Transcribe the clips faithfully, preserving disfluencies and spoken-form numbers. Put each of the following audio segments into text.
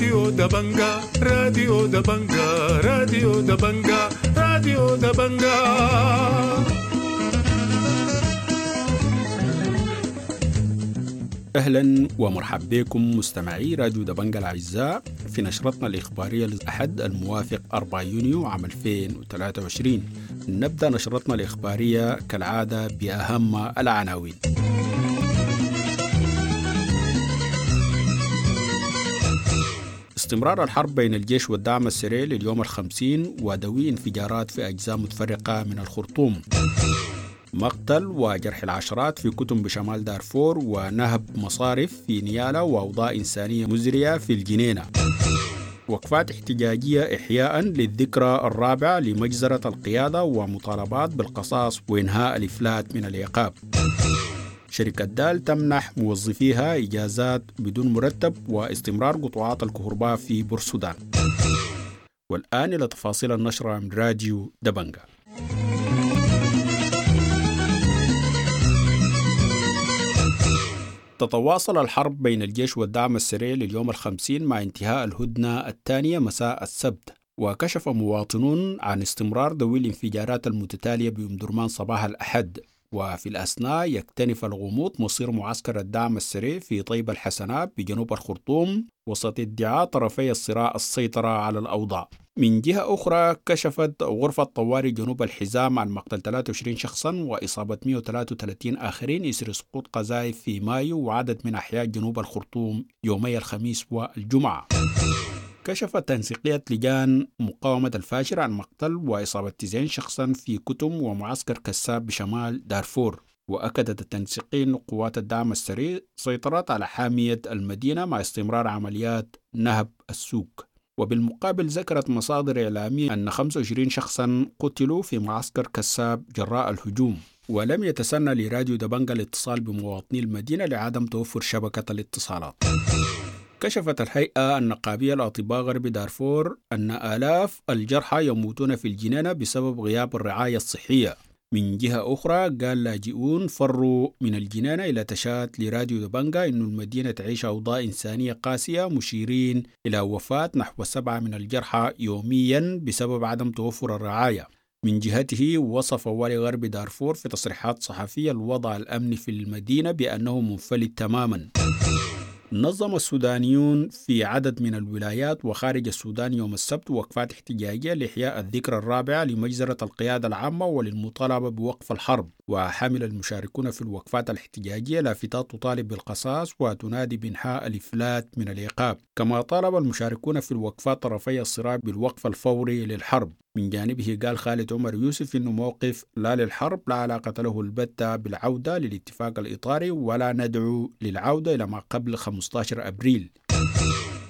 راديو دبنجا، راديو دبنجا، راديو دبنجا، راديو دبنجا. أهلا ومرحبا بكم مستمعي راديو دبنجا الأعزاء في نشرتنا الإخبارية للأحد الموافق أربعة يونيو عام ألفين وثلاثة وعشرين. نبدأ نشرتنا الإخبارية كالعادة بأهم العناوين. استمرار الحرب بين الجيش والدعم السريع لليوم الخمسين ودوي انفجارات في أجزاء متفرقة من الخرطوم. مقتل وجرح العشرات في كتم بشمال دارفور ونهب مصارف في نيالا وأوضاع إنسانية مزرية في الجنينة. وقفات احتجاجية إحياء للذكرى الرابعة لمجزرة القيادة ومطالبات بالقصاص وإنهاء الإفلات من العقاب. شركة دال تمنح موظفيها إجازات بدون مرتب واستمرار قطاعات الكهرباء في بورسودان. والآن إلى تفاصيل النشرة من راديو دبنجا. تتواصل الحرب بين الجيش والدعم السريع لليوم الخمسين مع انتهاء الهدنة الثانية مساء السبت، وكشف مواطنون عن استمرار دوي الانفجارات المتتالية بأم درمان صباح الأحد. وفي الأثناء يكتنف الغموض مصير معسكر الدعم السريع في طيبة الحسنات بجنوب الخرطوم وسط ادعاء طرفي الصراع السيطرة على الأوضاع. من جهة أخرى كشفت غرفة طوارئ جنوب الحزام عن مقتل ثلاثة وعشرين شخصا وإصابة مئة وثلاثة وثلاثين آخرين إثر سقوط قذائف في مايو وعدد من أحياء جنوب الخرطوم يومي الخميس والجمعة. كشفت تنسيقية لجان مقاومة الفاشر عن مقتل وإصابة تسعين شخصا في كتم ومعسكر كساب بشمال دارفور. وأكدت التنسيقية أن قوات الدعم السريع سيطرت على حامية المدينة مع استمرار عمليات نهب السوق. وبالمقابل ذكرت مصادر إعلامية أن خمسة وعشرين شخصا قتلوا في معسكر كساب جراء الهجوم. ولم يتسنى لراديو دبنجا الاتصال بمواطني المدينة لعدم توفر شبكة الاتصالات. كشفت الهيئة النقابية لأطباء غرب دارفور أن آلاف الجرحى يموتون في الجنينة بسبب غياب الرعاية الصحية. من جهة أخرى قال لاجئون فروا من الجنينة إلى تشات لراديو دبنجا إن المدينة تعيش أوضاع إنسانية قاسية، مشيرين إلى وفاة نحو سبعة من الجرحى يوميا بسبب عدم توفر الرعاية. من جهته وصف والي غرب دارفور في تصريحات صحفية الوضع الأمني في المدينة بأنه منفلت تماما. نظم السودانيون في عدد من الولايات وخارج السودان يوم السبت وقفات احتجاجية لإحياء الذكرى الرابعة لمجزرة القيادة العامة وللمطالبة بوقف الحرب. وحمل المشاركون في الوقفات الاحتجاجية لافتات تطالب بالقصاص وتنادي بإنهاء الإفلات من العقاب. كما طالب المشاركون في الوقفات طرفي الصراع بالوقف الفوري للحرب. من جانبه قال خالد عمر يوسف إنه موقف لا للحرب لا علاقة له البتة بالعودة للاتفاق الإطاري ولا ندعو للعودة إلى ما قبل خمسة عشر أبريل.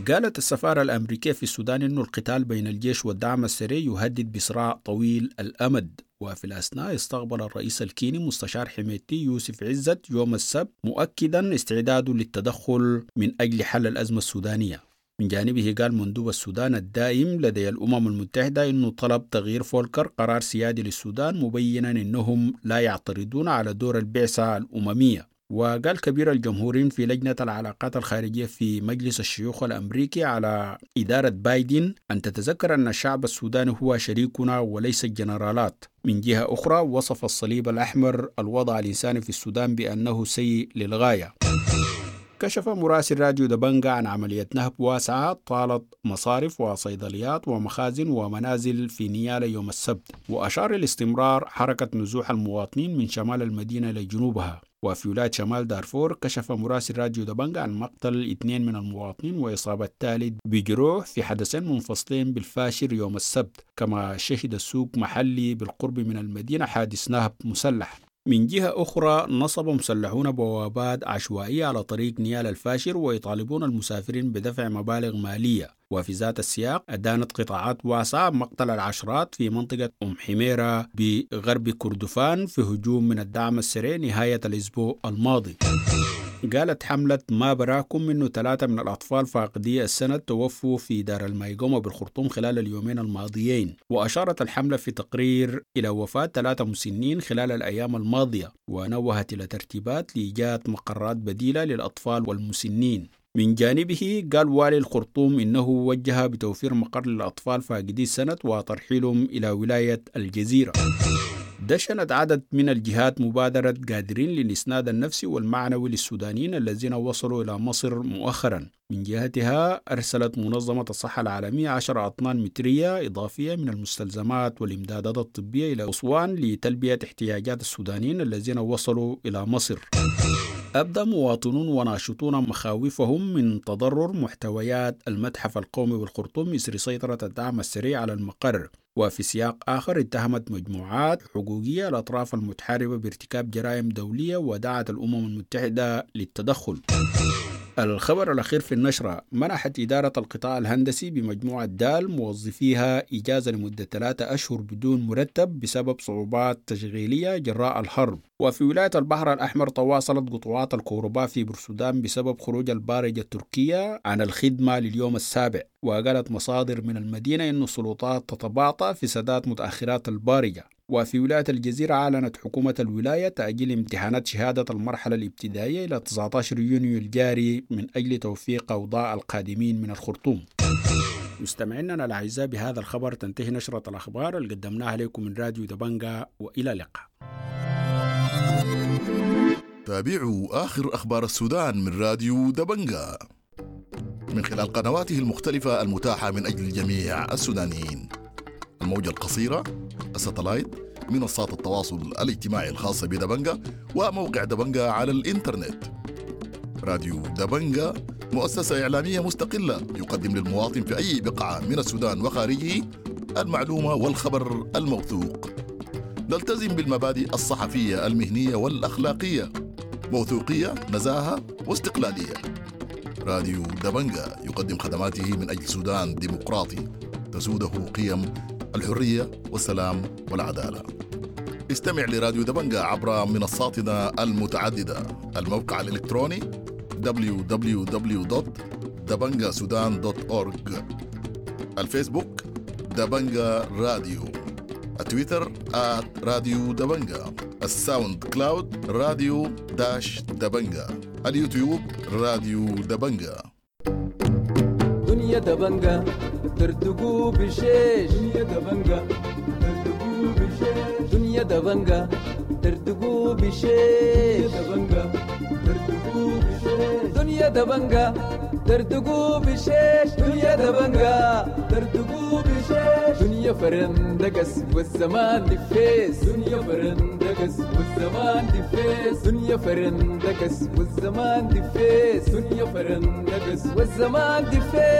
قالت السفارة الأمريكية في السودان إنه القتال بين الجيش والدعم السريع يهدد بصراع طويل الأمد. وفي الأثناء استقبل الرئيس الكيني مستشار حميتي يوسف عزت يوم السبت مؤكدا استعداده للتدخل من أجل حل الأزمة السودانية. من جانبه قال مندوب السودان الدائم لدي الأمم المتحدة إنه طلب تغيير فولكر قرار سيادي للسودان، مبينا إنهم لا يعترضون على دور البعثة الأممية. وقال كبير الجمهوريين في لجنة العلاقات الخارجية في مجلس الشيوخ الأمريكي على إدارة بايدن أن تتذكر أن الشعب السوداني هو شريكنا وليس الجنرالات. من جهة أخرى وصف الصليب الأحمر الوضع الإنساني في السودان بأنه سيء للغاية. كشف مراسل راديو دبنجا عن عملية نهب واسعة طالت مصارف وصيدليات ومخازن ومنازل في نيالا يوم السبت، وأشار لاستمرار حركة نزوح المواطنين من شمال المدينة لجنوبها. وفي ولاية شمال دارفور كشف مراسل راديو دبنجا عن مقتل اثنين من المواطنين وإصابة ثالث بجروح في حدثين منفصلين بالفاشر يوم السبت، كما شهد السوق محلي بالقرب من المدينة حادث نهب مسلح. من جهة أخرى نصب مسلحون بوابات عشوائية على طريق نيال الفاشر ويطالبون المسافرين بدفع مبالغ مالية. وفي ذات السياق أدانت قطاعات واسعة مقتل العشرات في منطقة أم حميرة بغرب كردفان في هجوم من الدعم السريع نهاية الأسبوع الماضي. قالت حملة ما براكم إنه ثلاثة من الأطفال فاقدي السند توفوا في دار المايقوما بالخرطوم خلال اليومين الماضيين. وأشارت الحملة في تقرير إلى وفاة ثلاثة مسنين خلال الأيام الماضية، ونوهت إلى ترتيبات لإيجاد مقرات بديلة للأطفال والمسنين. من جانبه قال والي الخرطوم إنه وجه بتوفير مقر للأطفال فاقدي السند وترحيلهم إلى ولاية الجزيرة. دشنت عدد من الجهات مبادرة قادرين للإسناد النفسي والمعنوي للسودانيين الذين وصلوا إلى مصر مؤخرا. من جهتها أرسلت منظمة الصحة العالمية عشرة أطنان مترية إضافية من المستلزمات والإمدادات الطبية إلى أسوان لتلبية احتياجات السودانيين الذين وصلوا إلى مصر. أبدى مواطنون وناشطون مخاوفهم من تضرر محتويات المتحف القومي بالخرطوم إثر سيطرة الدعم السريع على المقر. وفي سياق آخر اتهمت مجموعات حقوقية الأطراف المتحاربة بارتكاب جرائم دولية ودعت الأمم المتحدة للتدخل. الخبر الأخير في النشرة: منحت إدارة القطاع الهندسي بمجموعة دال موظفيها إجازة لمدة ثلاثة أشهر بدون مرتب بسبب صعوبات تشغيلية جراء الحرب. وفي ولاية البحر الأحمر تواصلت قطوعات الكهرباء في بورسودان بسبب خروج البارجة التركية عن الخدمة لليوم السابع. وقالت مصادر من المدينة أن السلطات تتباطأ في سداد متأخرات البارجة. وفي ولاية الجزيرة أعلنت حكومة الولاية تأجيل امتحانات شهادة المرحلة الابتدائية إلى تسعة عشر يونيو الجاري من أجل توفيق أوضاع القادمين من الخرطوم. مستمعينا الأعزاء، بهذا الخبر تنتهي نشرة الأخبار اللي قدمناها لكم من راديو دبنجا، وإلى اللقاء. تابعوا آخر أخبار السودان من راديو دبنجا من خلال قنواته المختلفة المتاحة من أجل جميع السودانيين: الموجة القصيرة، الستلايت، منصات التواصل الاجتماعي الخاصة بدبنجا، وموقع دبنجا على الإنترنت. راديو دبنجا مؤسسة إعلامية مستقلة يقدم للمواطن في أي بقعة من السودان وخارجه المعلومة والخبر الموثوق. نلتزم بالمبادئ الصحفية المهنية والأخلاقية، موثوقية، نزاهة واستقلالية. راديو دبنجا يقدم خدماته من أجل سودان ديمقراطي تسوده قيم الحرية والسلام والعدالة. استمع لراديو دبنجا عبر منصاتنا المتعددة: الموقع الإلكتروني دبليو دبليو دبليو دوت دبنجا سودان دوت أورج، الفيسبوك دبنجا راديو، التويتر آت راديو دبنجا، الساوند كلاود راديو داش دبنجا، اليوتيوب راديو دبنجا. دنيا دبنجا ترتقو بشيش، دنيا دبنجا ترتقو بشيش، دنيا دبنجا ترتقو بشيش، دبنجا ترتقو بشيش، دنيا دبنجا ترتقو بشيش، دنيا دبنجا ترتقو بشيش، دنيا فرندقس والزمان دفيس، دنيا فرندقس والزمان دفيس، دنيا فرندقس والزمان دفيس، دنيا فرندقس والزمان دفيس.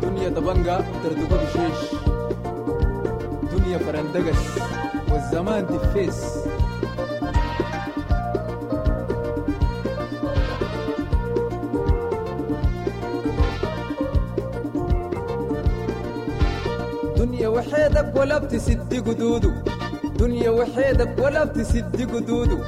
دنيا دبنجا ترتقو بشيش، دنيا فرندقس والزمان دفيس. دنيا وحيدك ولا بتسد قدوده، دنيا وحيدك ولا بتسد قدوده،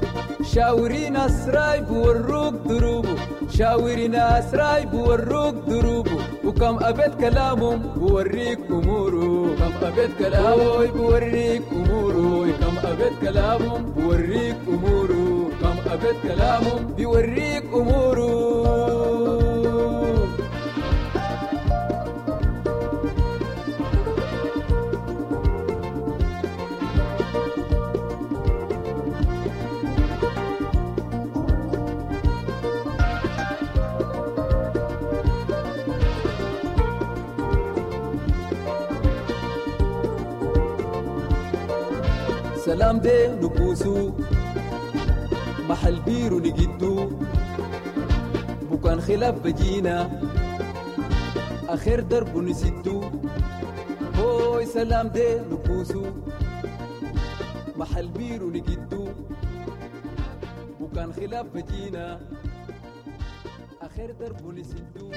شاوري ناس رايب وروك دروبه، شاوري ناس رايب وروك دروبه، وكم أبيت كلامهم بوريك أموره، كم أبيت كلامه بوريك أموره، كم أبيت كلامهم بوريك أموره، كم أبيت كلامهم بيوريك أموره. سلام دي نكوسو محل بيرو نجدو، بكان خلاف بجينا آخر درب نسدو، هوي سلام دي نكوسو محل بيرو نجدو، بكان خلاف بجينا آخر درب نسدو.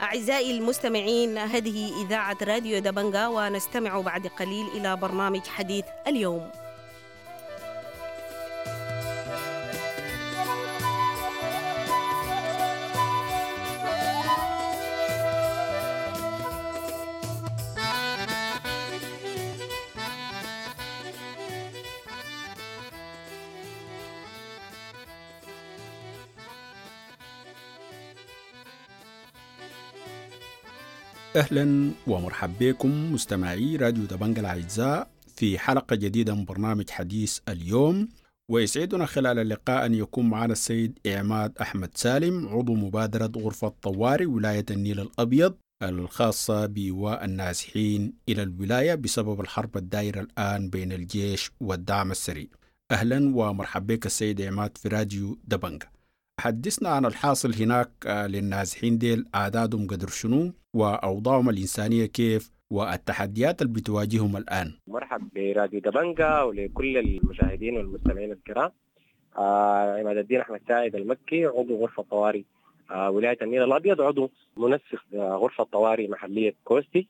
أعزائي المستمعين، هذه إذاعة راديو دبنجا، ونستمع بعد قليل إلى برنامج حديث اليوم. أهلا ومرحبا بكم مستمعي راديو دبنجا الأعزاء في حلقة جديدة من برنامج حديث اليوم. ويسعدنا خلال اللقاء أن يكون معنا السيد عماد أحمد سالم، عضو مبادرة غرفة طوارئ ولاية النيل الأبيض الخاصة بإيواء النازحين إلى الولاية بسبب الحرب الدائرة الآن بين الجيش والدعم السريع. أهلا ومرحبا بك السيد عماد في راديو دبنجا. حدثنا عن الحاصل هناك للنازحين ديل، أعدادهم قدر شنو وأوضاعهم الإنسانية كيف والتحديات اللي بتواجههم الآن. مرحب براديو دبنجا ولكل المشاهدين والمستمعين الكرام. آه عماد الدين أحمد سعيد المكي، عضو غرفة طوارئ آه ولاية النيل الأبيض، عضو منسق آه غرفة طوارئ محلية كوستي.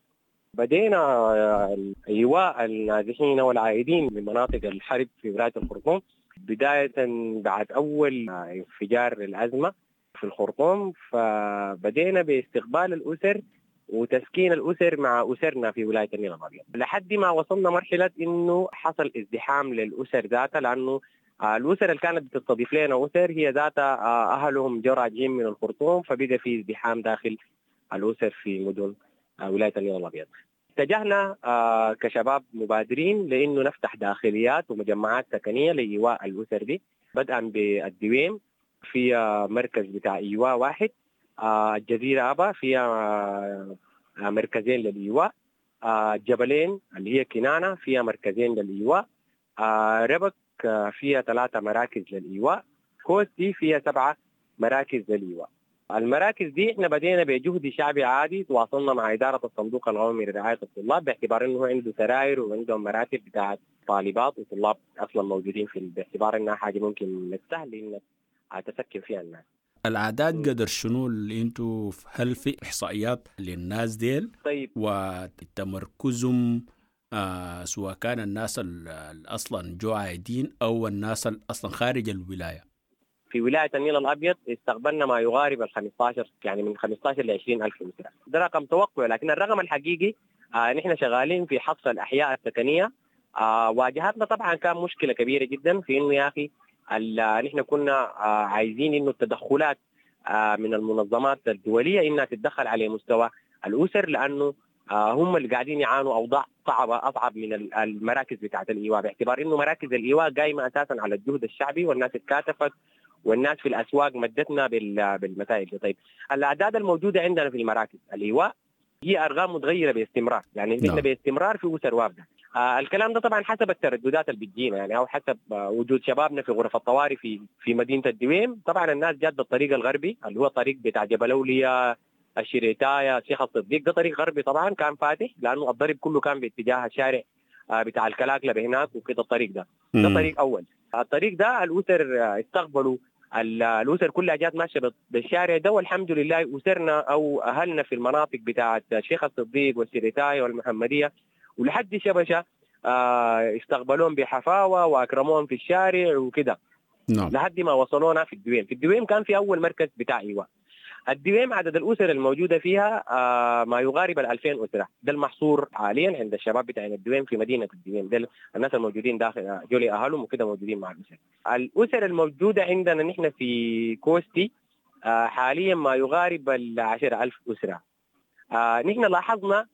بدينا آه إيواء النازحين والعائدين من مناطق الحرب في ولاية الخرطوم بداية بعد أول انفجار الأزمة في الخرطوم، فبدينا باستقبال الأسر وتسكين الأسر مع أسرنا في ولاية النيل الأبيض لحد ما وصلنا مرحلة إنه حصل ازدحام للأسر ذاتها، لأنه الأسر اللي كانت بتستضيف لنا أسر هي ذاتها أهلهم جو راجعين من الخرطوم، فبدأ في ازدحام داخل الأسر في مدن ولاية النيل الأبيض. اتجهنا كشباب مبادرين لأنه نفتح داخليات ومجمعات سكنية لإيواء الأسر دي، بدءا بالدويم في مركز بتاع إيواء واحد، الجزيرة أبا فيها مركزين للإيواء، الجبلين اللي هي كنانة فيها مركزين للإيواء، ربك فيها ثلاثة مراكز للإيواء، كوستي فيها سبعة مراكز للإيواء. المراكز دي احنا بدينا بجهد شعبي عادي، تواصلنا مع إدارة الصندوق القومي لرعاية الطلاب باعتبار انه عنده سراير وعندهم مراتب بتاعت طالبات وطلاب اصلا موجودين في، باعتبار انها حاجة ممكن من السهل انك تسكن فيها الناس. الأعداد قدر شنو اللي انتوا، هل في إحصائيات للناس ديل؟ طيب، وتمركزهم آه سواء كان الناس اللي أصلا جو عايدين أو الناس اللي أصلا خارج الولاية؟ في ولاية النيل الأبيض استقبلنا ما يقارب ال خمسة عشر، يعني من خمسة عشر ل عشرين ألف أسرة. ده رقم توقع، لكن الرقم الحقيقي آه نحن شغالين في حصر الأحياء السكنية. آه واجهتنا طبعا كان مشكلة كبيرة جدا في إنه يا أخي نحن كنا آه عايزين إنه التدخلات آه من المنظمات الدولية إنها تتدخل على مستوى الأسر، لأنه آه هم اللي قاعدين يعانوا أوضاع صعبة أصعب من المراكز بتاعة الإيواء، باعتبار إنه مراكز الإيواء قايمة أساسا على الجهد الشعبي والناس اتكاتفت والناس في الأسواق مدتنا بالمسائل دي. طيب، الأعداد الموجودة عندنا في المراكز الإيواء هي أرقام متغيرة باستمرار، يعني نحن باستمرار في أسر وافدة. آه الكلام ده طبعا حسب الترددات اللي بتجينا، يعني أو حسب آه وجود شبابنا في غرف الطوارئ في في مدينة الدويم. طبعا الناس جات بالطريق الغربي اللي هو طريق بتاع جبل أولياء، الشريتايا، الشيخ الصديق، ده طريق غربي طبعا كان فاتح لأنه الضرب كله كان باتجاه الشارع آه بتاع الكلاكلة بهناك وكده. الطريق ده ده طريق أول. الطريق ده الأسر استقبلوا، الأسر كلها جات ماشية بالشارع ده، والحمد لله أسرنا أو أهلنا في المناطق بتاعة الشيخ الصديق والسريتاية والمحمدية ولحد شبشة استقبلوهم بحفاوة وأكرموهم في الشارع وكده. نعم. لحد ما وصلونا في الدويم. في الدويم كان في أول مركز بتاع إيواء. الدويم عدد الأسر الموجودة فيها ما يقارب الألفين أسرة، ده المحصور حاليا عند الشباب بتاع الدويم في مدينة الدويم، ده الناس الموجودين داخل جولي أهلهم وكده موجودين مع الأسر. الأسر الموجودة عندنا نحن في كوستي حاليا ما يقارب العشرة ألف أسرة. نحن لاحظنا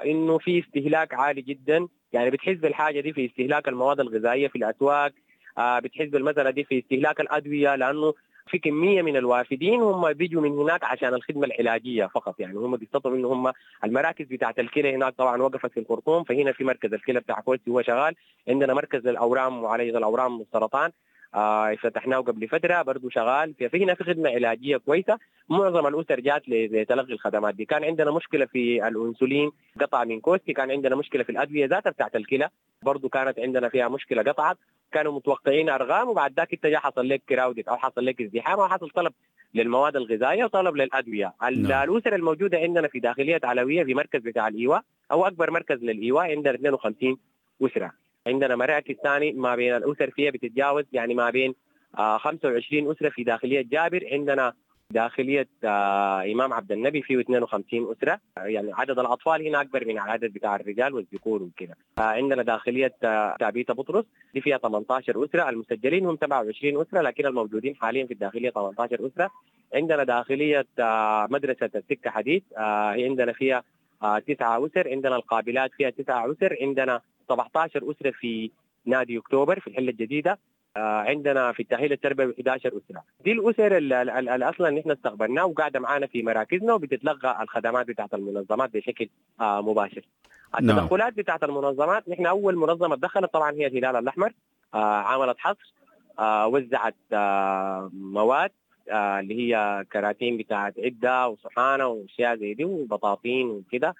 إنه في استهلاك عالي جدا، يعني بتحس بالحاجة دي في استهلاك المواد الغذائية في الأسواق، بتحس بالمسألة دي في استهلاك الأدوية، لأنه في كمية من الوافدين هم بيجوا من هناك عشان الخدمة العلاجية فقط، يعني هم بيستطيعوا إنه هم المراكز بتاعة الكلى هناك طبعا وقفت في الخرطوم، فهنا في مركز الكلى بتاع كوستي هو شغال، عندنا مركز للأورام وعلاج الأورام والسرطان، آه فتحناه قبل فترة برضه شغال. في هنا في خدمة علاجية كويسة، معظم الاسر جات لتلقي الخدمات دي. كان عندنا مشكلة في الانسولين قطع من كوستي، كان عندنا مشكلة في الادوية ذاتها بتاعت الكلى برضه كانت عندنا فيها مشكلة قطعت. كانوا متوقعين ارقام وبعد ذاك انت حصل لك crowded او حصل لك ازدحام او حصل طلب للمواد الغذائية وطلب للادوية. نعم. الاسر الموجودة عندنا في داخلية علويه في مركز بتاع الايواء او اكبر مركز للايواء عندنا اثنين وخمسين اسره. عندنا مراكز ثاني ما بين الاسر فيها بتتجاوز يعني ما بين آه خمسة وعشرين اسره في داخلية جابر. عندنا داخلية آه امام عبد النبي فيه اثنين وخمسين اسره، يعني عدد الاطفال هنا اكبر من العدد بتاع الرجال والذكور وكذا. آه عندنا داخلية آه تابيتا بطرس دي فيها ثمانية عشر اسره، المسجلين هم سبعة وعشرين اسره لكن الموجودين حاليا في الداخلية ثمانية عشر اسره. عندنا داخلية آه مدرسه السكة حديد آه عندنا فيها آه تسعة اسر. عندنا القابلات فيها تسعة اسر. عندنا سبعة عشر اسره في نادي اكتوبر في الحلة الجديدة. عندنا في التأهيل التربوي إحدى عشر أسرة. دي الأسر اللي أصلا نحن استقبلناها وقاعدة معانا في مراكزنا وبتتلقى الخدمات بتاعت المنظمات بشكل مباشر. التدخلات بتاعت المنظمات، نحن أول منظمة دخلت طبعا هي الهلال الأحمر، عملت حصر، وزعت مواد اللي هي كراتين بتاعت عدة وصحانة وأشياء زي دي وبطاطين وكده.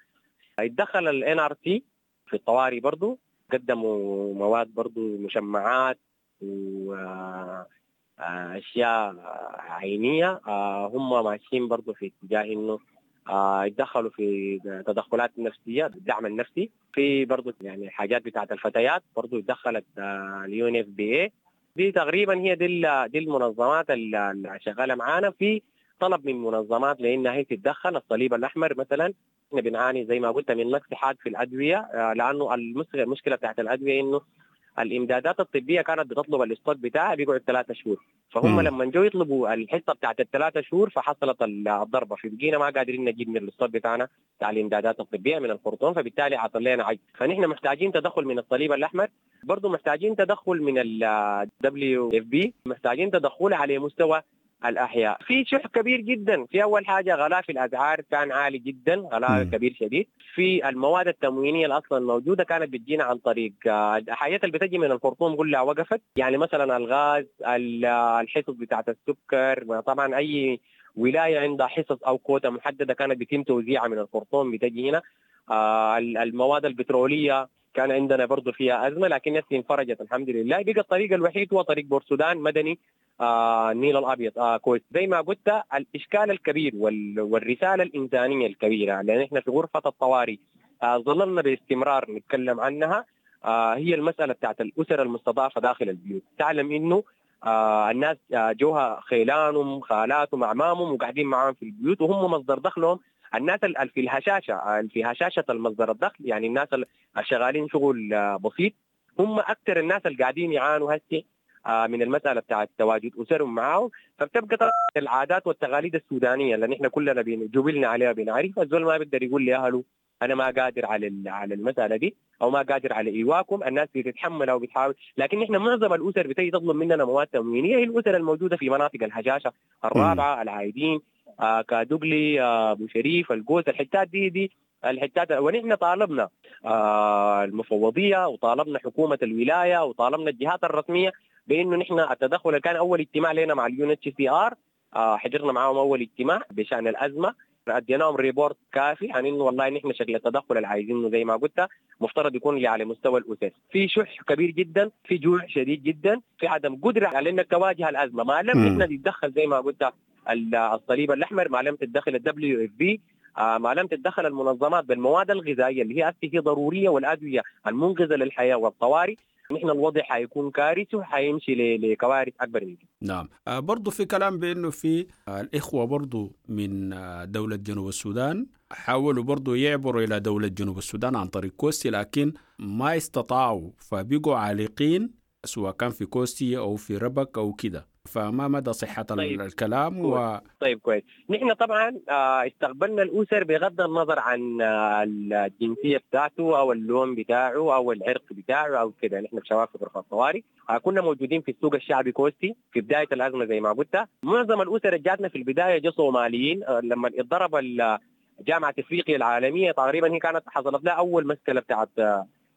اتدخل ال إن آر سي في الطوارئ برضو، قدموا مواد برضو مشمعات وأشياء عينية. هم ماشيين برضو في اتجاه إنه يتدخلوا في تدخلات نفسية، الدعم النفسي. في برضو يعني حاجات بتاعت الفتيات برضو اتدخلت اليو إن إف بي إيه. دي تقريبا هي دي دي المنظمات اللي شغالة معانا. في طلب من منظمات لأنها هي تتدخل، الصليب الأحمر مثلا. احنا بنعاني زي ما قلت من نقص حاد في الأدوية، لأنه المشكلة بتاعت الأدوية إنه الامدادات الطبية كانت بتطلب ال stock بتاعها بيقعد ثلاثة شهور، فهم لما جو يطلبوا الحصة بتاعت الثلاثة شهور فحصلت الضربة، فبقينا ما قادرين نجيب من ال stock بتاعنا بتاع الامدادات الطبية من الخرطوم، فبالتالي عطل لنا عجز. فنحن محتاجين تدخل من الصليب الاحمر، برضه محتاجين تدخل من ال دبليو إف بي، محتاجين تدخل على مستوى الأحياء. في شح كبير جدا. في أول حاجة غلاء في الأسعار كان عالي جدا، غلاء كبير شديد. في المواد التموينية اللي أصلا موجودة كانت بتجينا عن طريق الحاجات اللي بتجي من الخرطوم كلها وقفت، يعني مثلا الغاز، الحصص بتاعت السكر. طبعا أي ولاية عندها حصص أو كوتا محددة كانت بيتم توزيعها من الخرطوم بتجي هنا. المواد البترولية كان عندنا برضو فيها أزمة، لكن نفسي انفرجت الحمد لله. بقى الطريق الوحيد هو طريق بورسودان مدني آه النيل الأبيض آه كويس. زي ما قلت الإشكال الكبير وال والرسالة الإنسانية الكبيرة لأن إحنا في غرفة الطوارئ آه ظللنا باستمرار نتكلم عنها، آه هي المسألة بتاعت الأسر المستضعفة داخل البيوت. تعلم إنه آه الناس آه جوها خيلانهم خالاتهم أعمامهم وقاعدين معاهم في البيوت وهم مصدر دخلهم. الناس اللي في الهشاشة، في هشاشة المصدر الدخل، يعني الناس الشغالين شغل بسيط هم أكثر الناس اللي قاعدين يعانوا هسه من المسألة بتاعت تواجد أسرهم معاهم. فبتبقى العادات والتقاليد السودانية اللي نحن كلنا جبلنا عليها بنعرفها، الزول ما بيقدر يقول لأهله أنا ما قادر على على المسألة دي أو ما قادر على إيواكم. الناس بتتحمل أو بتحاول، لكن نحن معظم الأسر بتيجي تطلب مننا مواد تموينية هي الأسر الموجودة في مناطق الهشاشة الرابعة، العايدين، آه كادوغلي، آه ابو شريف، القوس، الحتات دي دي الحتات. ونحن طالبنا آه المفوضية وطالبنا حكومة الولاية وطالبنا الجهات الرسمية بانه نحن التدخل. كان اول اجتماع لنا مع اليو ان اتش سي ار، حضرنا معاهم اول اجتماع بشان الازمة، اديناهم report كافي عن انه والله نحن شكل التدخل اللي عايزينه زي ما قلت مفترض يكون على مستوى الاسس. في شح كبير جدا، في جوع شديد جدا، في عدم قدره على انك تواجه الازمة ما لم نحن نتدخل زي ما قلت الصليب الاحمر، ما لم تتدخل الدبليو اف بي، ما لم تتدخل المنظمات بالمواد الغذائية اللي هي هي ضرورية والادوية المنقذه للحياة والطوارئ. نحن الوضع حيكون كارثي وحيمشي لكوارث اكبر من كده. نعم، برضو في كلام بانه في الاخوة برضو من دولة جنوب السودان حاولوا برضو يعبروا الى دولة جنوب السودان عن طريق كوستي، لكن ما استطاعوا فبقوا عالقين سواء كان في كوستي او في ربك او كده. فما مدى صحة طيب. الكلام و... طيب كويس. نحن طبعا استقبلنا الأسر بغض النظر عن الجنسية بتاعته أو اللون بتاعه أو العرق بتاعه أو كده. نحن في شباب في غرفة الطوارئ كنا موجودين في السوق الشعبي كوستي في بداية الأزمة زي ما قلت. معظم الأسر جاتنا في البداية جو صوماليين لما اتضرب جامعة إفريقيا العالمية تقريبا، هي كانت حصلت لها أول مشكلة بتاعت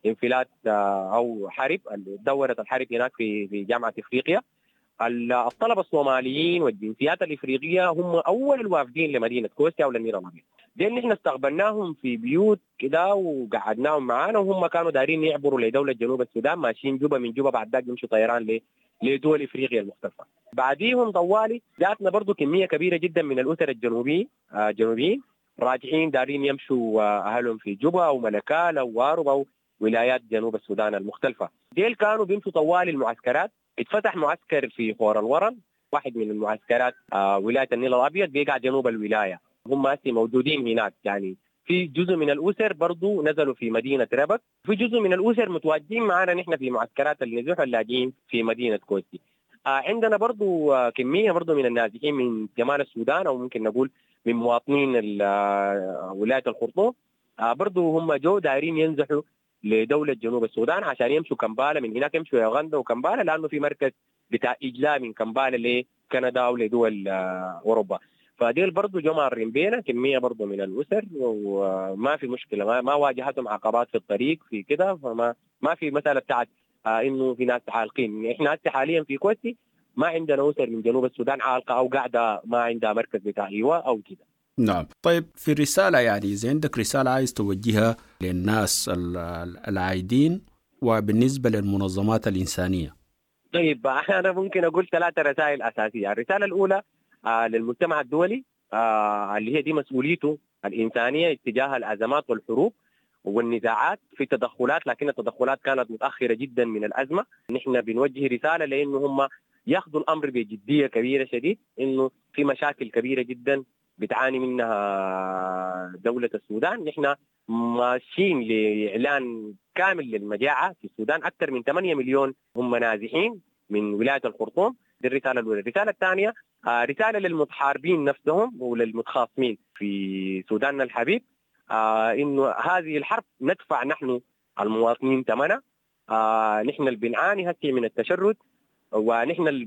انفلات أو حرب، دورت الحرب هناك في في جامعة إفريقيا. الطلبة الصوماليين والجنسيات الافريقية هم اول الوافدين لمدينة كوستي او للنيل الابيض. ديل نحن استقبلناهم في بيوت كده وقعدناهم معانا، وهم كانوا دارين يعبروا لدولة جنوب السودان، ماشيين جوبا، من جوبا بعد ذاك يمشوا طيران لدول افريقيا المختلفة. بعديهم طوالي جاتنا برضو كمية كبيرة جدا من الاسر الجنوبيين الجنوبيين راجعين دارين يمشوا اهلهم في جوبا وملكال ووارب او ولايات جنوب السودان المختلفة. ديل كانوا بيمشوا طوالي المعسكرات. اتفتح معسكر في خور الورن، واحد من المعسكرات آه ولاية النيل الابيض، بيقع جنوب الولاية، هم هسه موجودين هناك. يعني في جزء من الاسر برضو نزلوا في مدينة ربك، في جزء من الاسر متواجدين معنا نحن في معسكرات النزوح واللاجئين في مدينة كوستي. آه عندنا برضو آه كمية برضو من النازحين من جمال السودان، او ممكن نقول من مواطنين ولاية الخرطوم، آه برضو هم جو دايرين ينزحوا لدولة جنوب السودان عشان يمشوا كمبالا، من هناك يمشوا يوغندا وكمبالا، لأنه في مركز بتاع إجلاء من كمبالا لكندا أو لدول أوروبا. فديل برضو جو مارين بينا كمية برضو من الأسر، وما في مشكلة، ما, ما واجهتهم عقبات في الطريق في كده، فما ما في مسألة بتاعت آه إنه في ناس عالقين. إحنا هسه حاليا في كوستي ما عندنا أسر من جنوب السودان عالقة أو قاعدة ما عندها مركز بتاع إيواء أو كده. نعم. طيب في رسالة، يعني إذا عندك رسالة عايز توجهها للناس العايدين وبالنسبة للمنظمات الإنسانية. طيب أنا ممكن أقول ثلاثة رسائل أساسية. الرسالة الأولى آه للمجتمع الدولي، آه اللي هي دي مسؤوليته الإنسانية اتجاه الأزمات والحروب والنزاعات. في تدخلات، لكن التدخلات كانت متأخرة جدا من الأزمة. نحن بنوجه رسالة لأنه هم ياخذوا الأمر بجدية كبيرة شديد، إنه في مشاكل كبيرة جدا بتعاني منها دولة السودان. نحن ماشيين لإعلان كامل للمجاعة في السودان، أكثر من ثمانية مليون هم نازحين من ولاية الخرطوم. دي الرسالة الأولى. الرسالة الثانية رسالة للمتحاربين نفسهم وللمتخاصمين في سوداننا الحبيب، إنه هذه الحرب ندفع نحن المواطنين ثمنها. نحن اللي بنعاني هسه من التشرد، ونحن اللي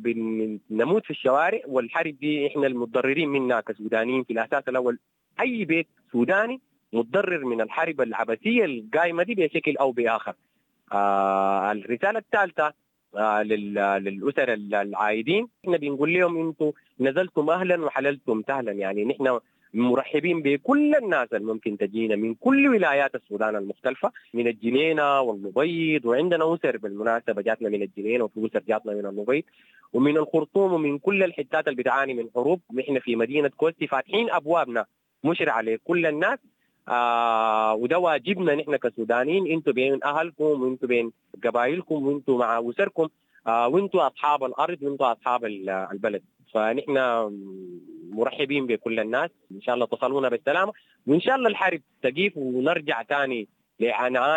بنموت في الشوارع، والحرب دي احنا المتضررين منها كسودانيين في الاساس الاول. اي بيت سوداني متضرر من الحرب العبثيه القايمة دي بشكل او باخر. آه الرسالة الثالثة آه للاسر العايدين، احنا بنقول لهم انتم نزلتم اهلا وحللتم سهلا. يعني نحن مرحبين بكل الناس اللي ممكن تجينا من كل ولايات السودان المختلفة، من الجنينة والمبيض، وعندنا أسر بالمناسبة جاتنا من الجنينة، وفي أسر جاتنا من المبيض ومن الخرطوم ومن كل الحتات اللي بتعاني من حروب. نحن في مدينة كوستي فاتحين أبوابنا مشرعة لكل الناس، آه وده واجبنا نحن كسودانيين. انتوا بين أهلكم وانتوا بين قبائلكم وانتوا مع أسركم، آه وانتوا أصحاب الأرض وانتوا أصحاب البلد. فنحن مرحبين بكل الناس، إن شاء الله تصلونا بالسلامة، وإن شاء الله الحرب تقيف ونرجع تاني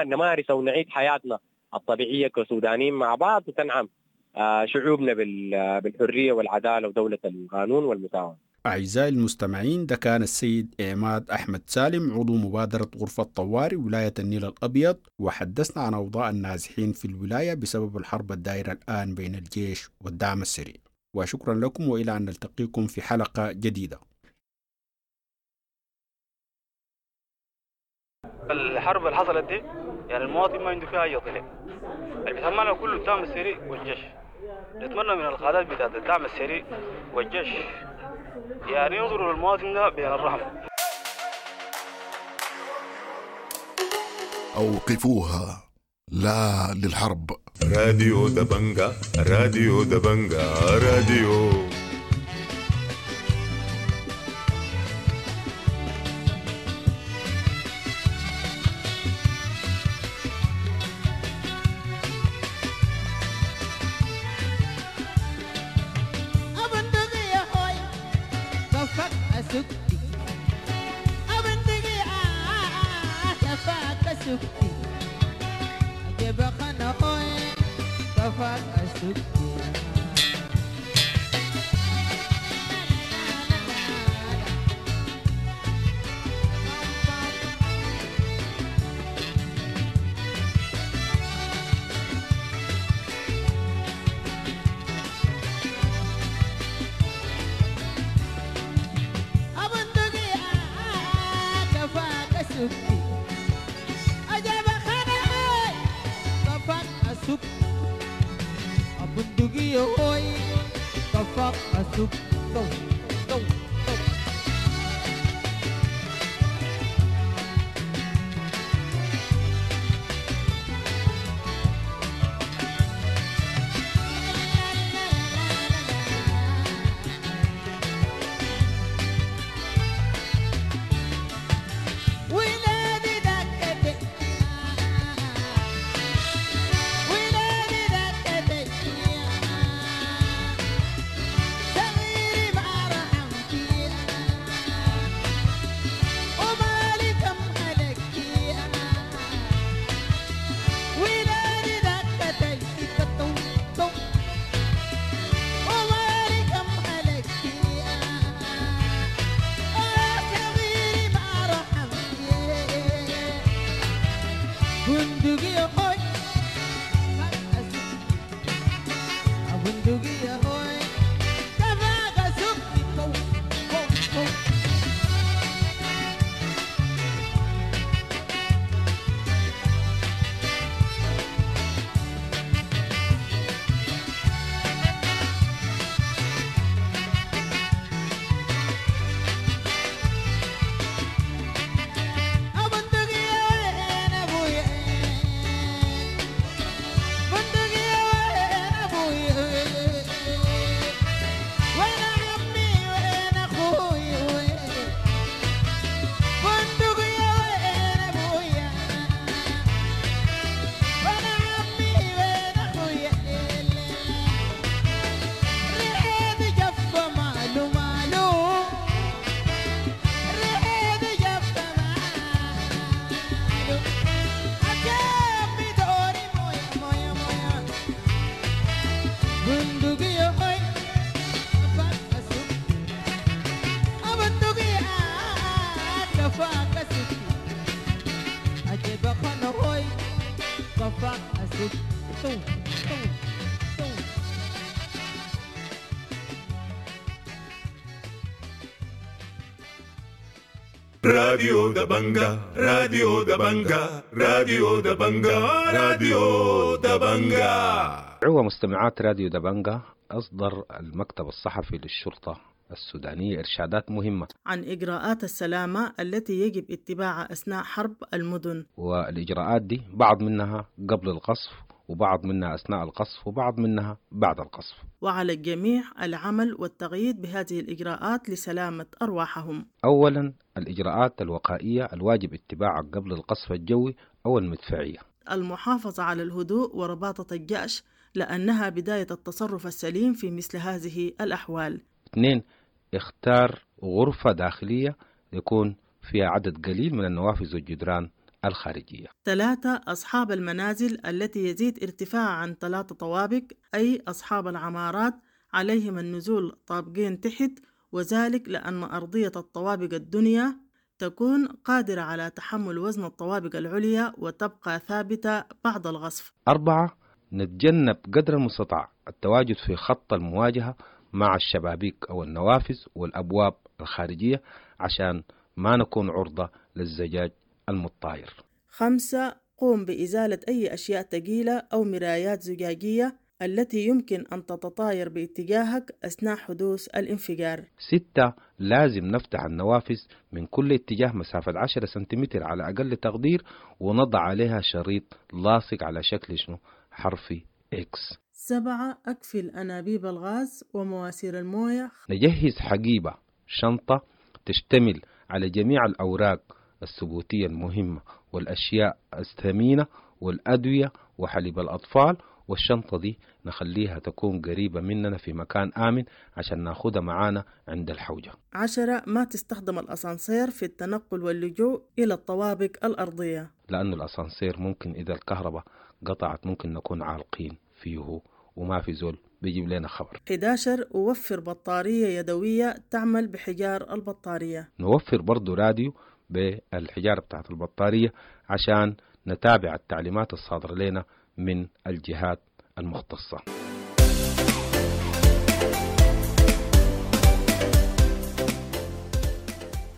نمارس ونعيد حياتنا الطبيعية كسودانيين مع بعض، وتنعم شعوبنا بالحرية والعدالة ودولة القانون والمساواة. أعزائي المستمعين، ده كان السيد عماد أحمد سالم عضو مبادرة غرفة طوارئ ولاية النيل الأبيض، وحدثنا عن أوضاع النازحين في الولاية بسبب الحرب الدائرة الآن بين الجيش والدعم السريع. وشكرا لكم، وإلى أن نلتقيكم في حلقة جديدة. الحرب اللي حصلت دي يعني المواطن ما عنده فيها أي طلع، اللي بيتحملها كله الدعم السريع والجيش. نتمنى من القادات بتاعت الدعم السريع والجيش يعني ينظروا للمواطن ده بين الرحمة. أوقفوها، لا للحرب. راديو دبنجا، راديو دبنجا، راديو. Abundugi hoy. كفاك أسوق تو تو تو. ولادي دكتي ولادي دكتي صغيري ما رحمتي ومالي كم هلكي ولادي دكتي تو تو ومالي كم هلكي صغيري ما رحمتي بندقية هوي بندقية هوي كفاك سكتي كو كو كو. بندقية وين أبويا بندقية وين أبويا وين عمي وين أخوي وين بندقية وين أبويا وين عمي وين أخويا ريحة جفة مالو مالو ريحة جفة مالو أكيد دوري مويا مويا مويا بندقية هاي كفاك أسوق بندقية كفاك أسوق أجيب خن هوي كفاك أسوق تو تو تو. راديو دبنجا راديو دبنجا راديو دبنجا راديو دبنجا. عوة مستمعات راديو دبنجا، أصدر المكتب الصحفي للشرطة السودانية إرشادات مهمة عن إجراءات السلامة التي يجب اتباعها أثناء حرب المدن. والإجراءات دي بعض منها قبل القصف، وبعض منها أثناء القصف، وبعض منها بعد القصف. وعلى الجميع العمل والتغييد بهذه الإجراءات لسلامة أرواحهم. أولا الإجراءات الوقائية الواجب اتباعها قبل القصف الجوي أو المدفعية. المحافظة على الهدوء ورباطة الجأش لأنها بداية التصرف السليم في مثل هذه الأحوال. اثنين، اختار غرفة داخلية يكون فيها عدد قليل من النوافذ والجدران الخارجية. ثلاثة، أصحاب المنازل التي يزيد ارتفاعها عن ثلاثة طوابق أي أصحاب العمارات عليهم النزول طابقين تحت، وذلك لأن أرضية الطوابق الدنيا تكون قادرة على تحمل وزن الطوابق العليا وتبقى ثابتة بعد الغصف. أربعة، نتجنب قدر المستطاع التواجد في خط المواجهة مع الشبابيك أو النوافذ والأبواب الخارجية عشان ما نكون عرضة للزجاج المتطاير. خمسة، قوم بإزالة أي أشياء ثقيلة أو مرايات زجاجية التي يمكن أن تتطاير باتجاهك أثناء حدوث الانفجار. ستة، لازم نفتح النوافذ من كل اتجاه مسافة عشرة سنتيمتر على أقل تقدير، ونضع عليها شريط لاصق على شكل شنو؟ حرف إكس. سبعة، أقفل أنابيب الغاز ومواسير الموية. نجهز حقيبة شنطة تشتمل على جميع الأوراق الثبوتية المهمة والأشياء الثمينة والأدوية وحليب الأطفال، والشنطة دي نخليها تكون قريبة مننا في مكان آمن عشان ناخدها معانا عند الحوجة. عشرة، ما تستخدم الأسانسير في التنقل واللجوء إلى الطوابق الأرضية، لأن الأسانسير ممكن إذا الكهرباء قطعت ممكن نكون عالقين فيه وما في زول بيجيب لنا خبر. إحدى عشر، وفر بطارية يدوية تعمل بحجار البطارية. نوفر برضو راديو بالحجارة بتاعت البطارية عشان نتابع التعليمات الصادرة لنا من الجهات المختصة.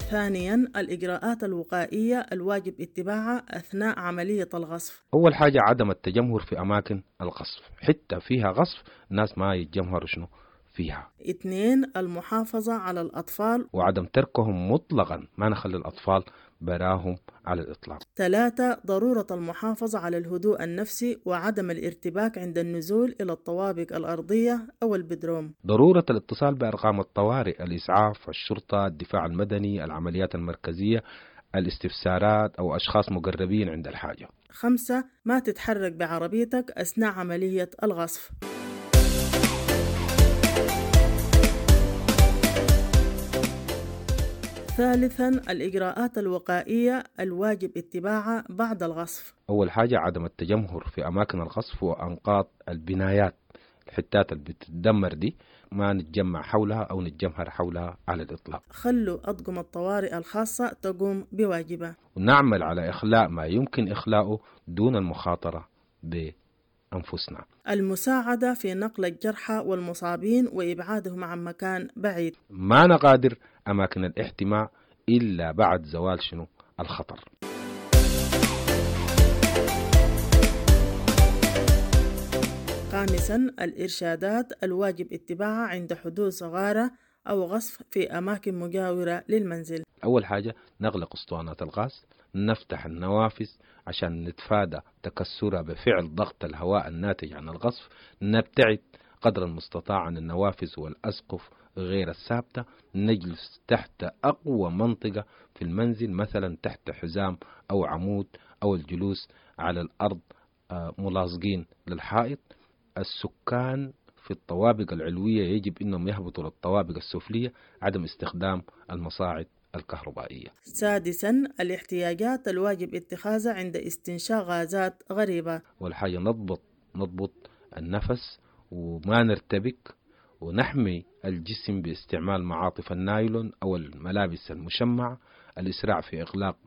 ثانياً، الإجراءات الوقائية الواجب اتباعها أثناء عملية الغصف. أول حاجة عدم التجمهر في أماكن القصف، حتى فيها غصف الناس ما يتجمهروا شنو فيها. اثنين، المحافظة على الأطفال وعدم تركهم مطلقا، ما نخلي الأطفال براهم على الإطلاق. ثلاثة، ضرورة المحافظة على الهدوء النفسي وعدم الارتباك عند النزول إلى الطوابق الأرضية أو البدروم. ضرورة الاتصال بأرقام الطوارئ، الإسعاف، الشرطة، الدفاع المدني، العمليات المركزية، الاستفسارات أو أشخاص مقربين عند الحاجة. خمسة، ما تتحرك بعربيتك أثناء عملية الغصف. ثالثا، الإجراءات الوقائية الواجب اتباعها بعد الغصف. أول حاجة عدم التجمهر في أماكن الغصف وأنقاض البنايات، الحتات اللي بتتدمر دي ما نتجمع حولها أو نتجمهر حولها على الإطلاق. خلوا أطقم الطوارئ الخاصة تقوم بواجبها، ونعمل على إخلاء ما يمكن إخلاؤه دون المخاطرة بأنفسنا. المساعدة في نقل الجرحى والمصابين وإبعادهم عن مكان بعيد. ما نغادر أماكن الاحتماء إلا بعد زوال شنو الخطر. خامسا، الإرشادات الواجب اتباعها عند حدوث غارة أو غصف في أماكن مجاورة للمنزل. أول حاجة نغلق أسطوانات الغاز، نفتح النوافذ عشان نتفادى تكسرها بفعل ضغط الهواء الناتج عن الغصف، نبتعد قدر المستطاع عن النوافذ والأسقف غير الثابتة، نجلس تحت أقوى منطقة في المنزل مثلا تحت حزام أو عمود أو الجلوس على الأرض ملاصقين للحائط. السكان في الطوابق العلوية يجب أنهم يهبطوا للطوابق السفلية، عدم استخدام المصاعد الكهربائية. سادسا، الاحتياجات الواجب اتخاذها عند استنشاق غازات غريبة. والحاجة نضبط نضبط النفس وما نرتبك، ونحمي الجسم باستعمال معاطف النايلون أو الملابس المشمعة، الإسراع في إغلاق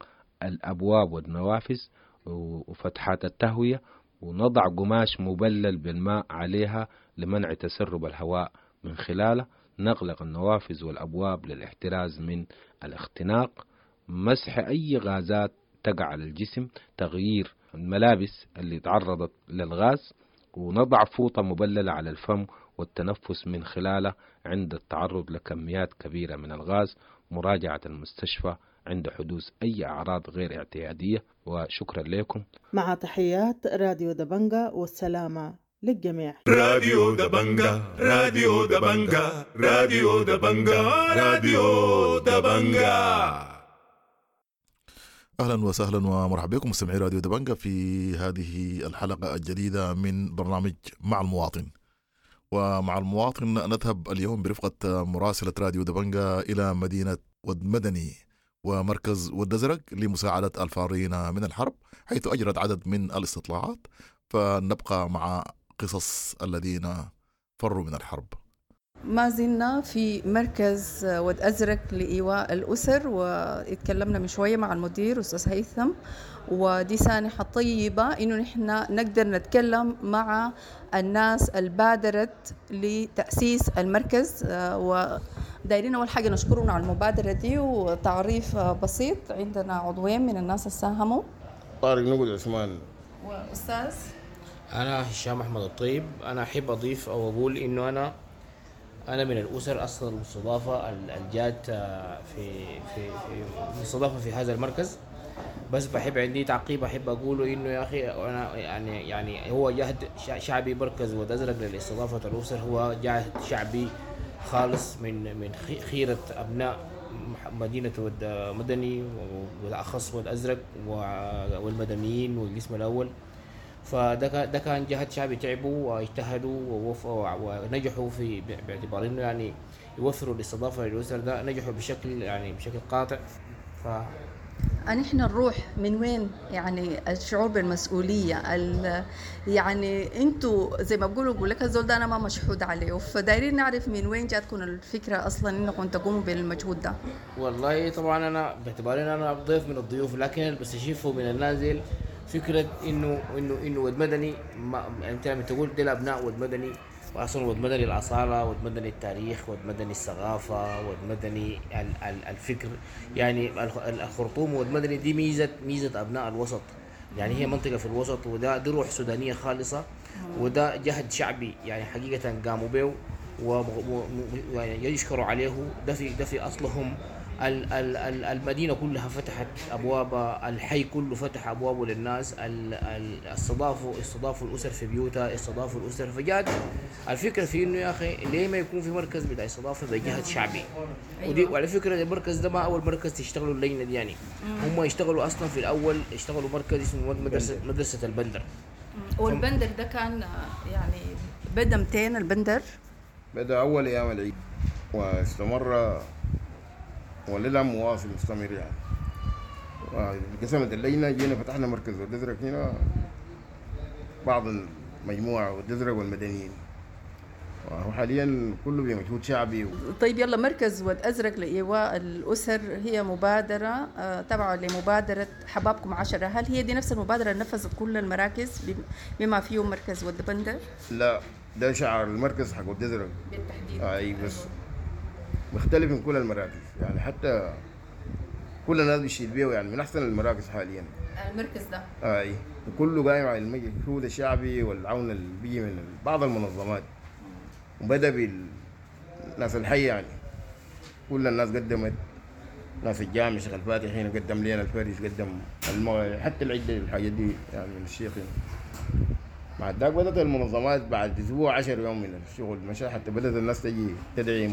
الأبواب والنوافذ وفتحات التهوية، ونضع قماش مبلل بالماء عليها لمنع تسرب الهواء من خلاله، نغلق النوافذ والأبواب للاحتراز من الاختناق، مسح أي غازات تقع على الجسم، تغيير الملابس اللي تعرضت للغاز، ونضع فوطة مبللة على الفم والتنفس من خلاله عند التعرض لكميات كبيرة من الغاز، مراجعة المستشفى عند حدوث أي أعراض غير اعتيادية. وشكرا لكم. مع تحيات راديو دبنجا، والسلامة للجميع. راديو دبنجا، راديو دبنجا، راديو دبنجا، راديو دبنجا. أهلا وسهلا ومرحبا بكم مستمعي راديو دبنجا في هذه الحلقة الجديدة من برنامج مع المواطن. ومع المواطن نذهب اليوم برفقة مراسلة راديو دبنجا إلى مدينة ود مدني ومركز ود أزرق لمساعدة الفارين من الحرب، حيث أجرت عدد من الاستطلاعات. فنبقى مع قصص الذين فروا من الحرب. ما زلنا في مركز ود أزرق لإيواء الأسر، واتكلمنا من شوية مع المدير أستاذ هيثم، ودي سانحة طيبة إنه نحن نقدر نتكلم مع الناس البادرت لتأسيس المركز. ودايرين أول حاجة نشكرهم على المبادرة دي. وتعريف بسيط، عندنا عضوين من الناس اللي ساهموا، طارق نقد عثمان وأستاذ. أنا هشام أحمد الطيب. أنا أحب أضيف أو أقول إنه أنا أنا من الأسر أصلا المستضافة الجات في في في المستضافة في هذا المركز. بس بحب عندي تعقيب أحب أقوله إنه يا أخي أنا يعني يعني هو جهد شعبي. مركز ود أزرق للاستضافة الأسر هو جهد شعبي خالص من من خيرة أبناء مدينة ود مدني وبالأخص ود أزرق والمدنيين والقسم الأول. فده ده كان جهد شعبي، تعبوا واجتهدوا ونجحوا في باعتبار انه يعني يوفروا الاستضافه للاسر، ده نجحوا بشكل يعني بشكل قاطع. ف نحن نروح من وين؟ يعني الشعور بالمسؤوليه، يعني انتوا زي ما بقولوا بقول لك الزول ده انا ما مشحود عليه، فدايرين نعرف من وين جاتكم الفكره اصلا انكم تقوموا بالمجهود ده. والله طبعا انا باعتبار ان انا ضيف من الضيوف، لكن بس اشوفه من النازل فكرة إنه إنه إنه ود مدني، ما أنت لما تقول دي الأبناء ود مدني، وأصلا ود مدني الأصالة، ود مدني التاريخ، ود مدني الثقافة، ود مدني الفكر. يعني الخرطوم ود مدني دي ميزة ميزة أبناء الوسط، يعني هي منطقة في الوسط، وده دي روح سودانية خالصة، وده جهد شعبي يعني حقيقة قاموا به. و يعني يشكروا عليه. ده في ده في اصلهم. ال ال ال المدينة كلها فتحت ابوابها، الحي كله فتح ابوابه للناس، ال ال استضافوا استضافوا الاسر في بيوتها، استضافوا الاسر. فجات الفكرة في انه يا اخي ليه ما يكون في مركز بتاع استضافة بجهد شعبي؟ ودي وعلى فكرة المركز ده ما اول مركز تشتغلوا اللجنة دي، يعني هم اشتغلوا اصلا في الاول اشتغلوا مركز اسمه مدرسه مدرسه البندر. والبندر ده كان يعني بدا مئتين البندر بدا اول ايام العيد واستمر وللآن مواصل مستمر يعني. وقسمت اللجنة، جينا فتحنا مركز والأزرق هنا، بعض المجموعة والأزرق والمدنيين، وهو حاليا كله بمجهود شعبي و... طيب يلا، مركز ود أزرق لإيواء الأسر هي مبادرة تابعة لمبادرة حبابكم عشرة. هل هي دي نفس المبادرة اللي نفذت كل المراكز بما فيهم مركز ود بندر؟ لا، ده شعار المركز حق ود أزرق بالتحديد. أي بس مختلف من كل المراكز يعني، حتى كل الناس بيشيد بيه يعني، من احسن المراكز حاليا المركز ده. اي، وكله قايم على المجهود الشعبي والعون اللي بيجي من بعض المنظمات، وبدا بالناس الحي يعني، كل الناس قدمت، ناس الجامع شيخ الفاتح هنا قدم لنا الفرش، قدم المو... حتى العدة الحاجات دي يعني من الشيخ هنا. بعد ذاك بدأت المنظمات بعد اسبوع عشر يوم من الشغل مشى، حتى بدأت الناس تجي تدعم،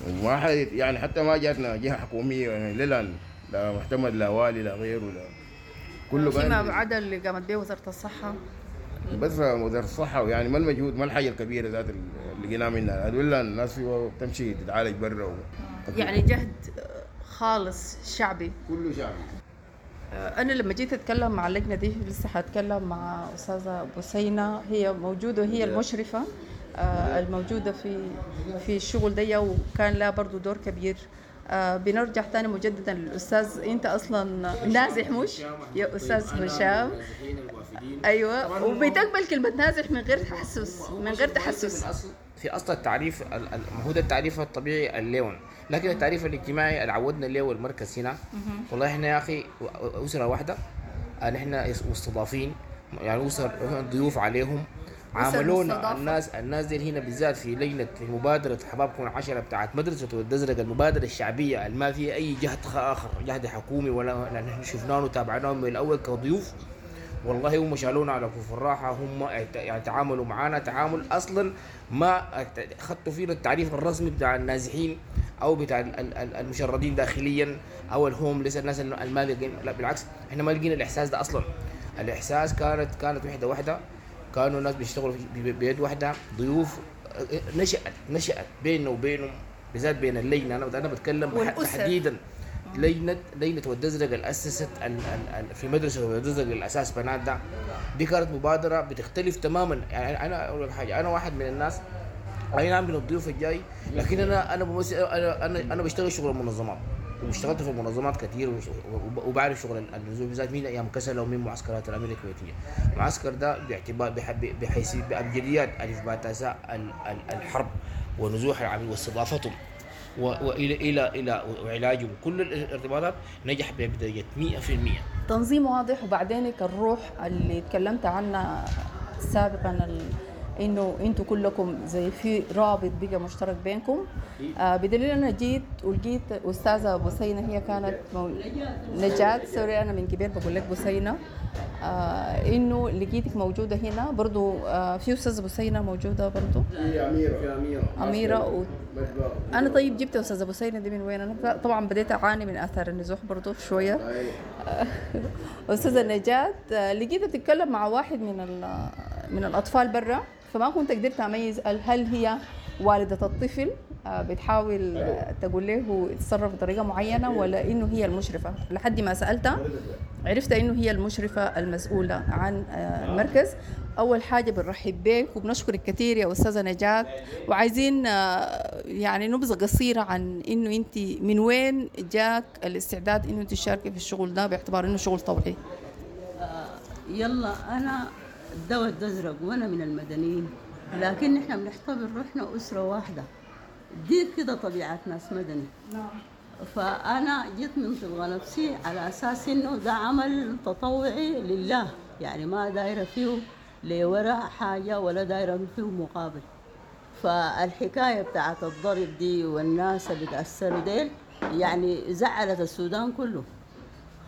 وما حد يعني حتى ما جاتنا جهة حكومية يعني للان، لا معتمد لا والي لا غيره لا كله. فيما عدا اللي قامت به وزارة الصحة بس، وزارة الصحة يعني ما المجهود ما الحاجة الكبيرة ذات اللي لقيناها منها، ولا الناس تمشي تتعالج برا و... يعني جهد خالص شعبي، كله شعبي. أنا لما جيت أتكلم مع اللجنة دي لسه حأتكلم مع أستاذة بوسينة، هي موجودة وهي المشرفة الموجودة في في الشغل دي، وكان لها برضو دور كبير. بنرجع تاني مجددا للأستاذ، أنت أصلا نازح مش يا أستاذ هشام؟ أيوة، وبتقبل كلمة نازح من غير تحسس، من غير تحسس. في اصل التعريف، ما هو ده التعريف الطبيعي اللون، لكن التعريف الاجتماعي اللي عودنا له المركز هنا، والله احنا يا اخي اسره واحدة، نحن مستضافين يعني، اسر ضيوف عليهم، عاملونا الناس الناس دي هنا بالذات في لجنة في مبادرة حبابكم عشرة بتاعت مدرسه ود أزرق، المبادرة الشعبية اللي ما فيها اي جهد اخر، جهد حكومي ولا، نحن شفناهم وتابعناهم من الاول كضيوف. والله هم شالونا على كف الراحة، هم يعني تعاملوا معانا تعامل اصلا ما خدتوا فينا التعريف الرسمي بتاع النازحين او بتاع المشردين داخليا او ال homeless، الناس اللي ما لا بالعكس، احنا ما لقينا الاحساس ده اصلا. الاحساس كانت كانت وحده واحدة، كانوا الناس بيشتغلوا بيد واحدة، ضيوف نشأت نشأت بيننا وبينهم، بالذات بين اللجنة. انا انا بتكلم تحديدا لجنة لجنة ود ازرق اللي اسست ال ال في مدرسه ود ازرق الاساس بنات ده، دي كانت مبادرة بتختلف تماما. يعني انا اقول لك حاجة، انا واحد من الناس اي نعم من الضيوف الجاي، لكن انا انا بمثل انا انا انا بشتغل شغل المنظمات، واشتغلت في المنظمات كثير، وبعرف شغل النزول بالذات من ايام كسلا ومن معسكرات الامير الكويتية. المعسكر ده باعتبار بحيث بابجديات الف باء تاء الحرب ونزوح العميل واستضافتهم والى الى الى وعلاجهم، كل الارتباطات نجح بدرجة مئة في المئة. تنظيم واضح. وبعدين الروح اللي تكلمت عنها سابقا ال... انه انتوا كلكم زي في رابط بقى مشترك بينكم، آه بدليل انا جيت ولقيت استاذه بوسينه، هي كانت مو... نجاة، sorry انا من كبير بقول لك بوسينه، آه انه لقيتك موجودة هنا برضو. آه في استاذه بوسينه موجودة برضو، في اميره، في اميره اميره و... انا طيب جبت استاذه بوسينه دي من وين؟ انا طبعا بديت اعاني من اثار النزوح برضو شوية. استاذه نجاة لقيتها بتتكلم مع واحد من ال... من الاطفال برا، فما كنت قدرت اميز هل هي والدة الطفل بتحاول تقول له يتصرف بطريقة معينة ولا إنه هي المشرفة. لحد ما سألتها عرفت إنه هي المشرفة المسؤولة عن المركز. أول حاجة بنرحب بك وبنشكرك كثير يا أستاذة نجاة، وعايزين يعني نبذة قصيرة عن إنه أنت من وين جاك الاستعداد إنه تشاركي في الشغل ده باعتبار إنه شغل طوعي. يلا أنا الدواء الأزرق وأنا من المدنيين، لكن نحن بنعتبر روحنا أسرة واحدة، دي كده طبيعة ناس مدني. فأنا جيت من طبق نفسي على أساس إنه ده عمل تطوعي لله، يعني ما دايرة فيه لورا حاجة ولا دايرة فيه مقابل. فالحكاية بتاعت الضرب دي والناس اللي تأثروا ديل يعني زعلت السودان كله،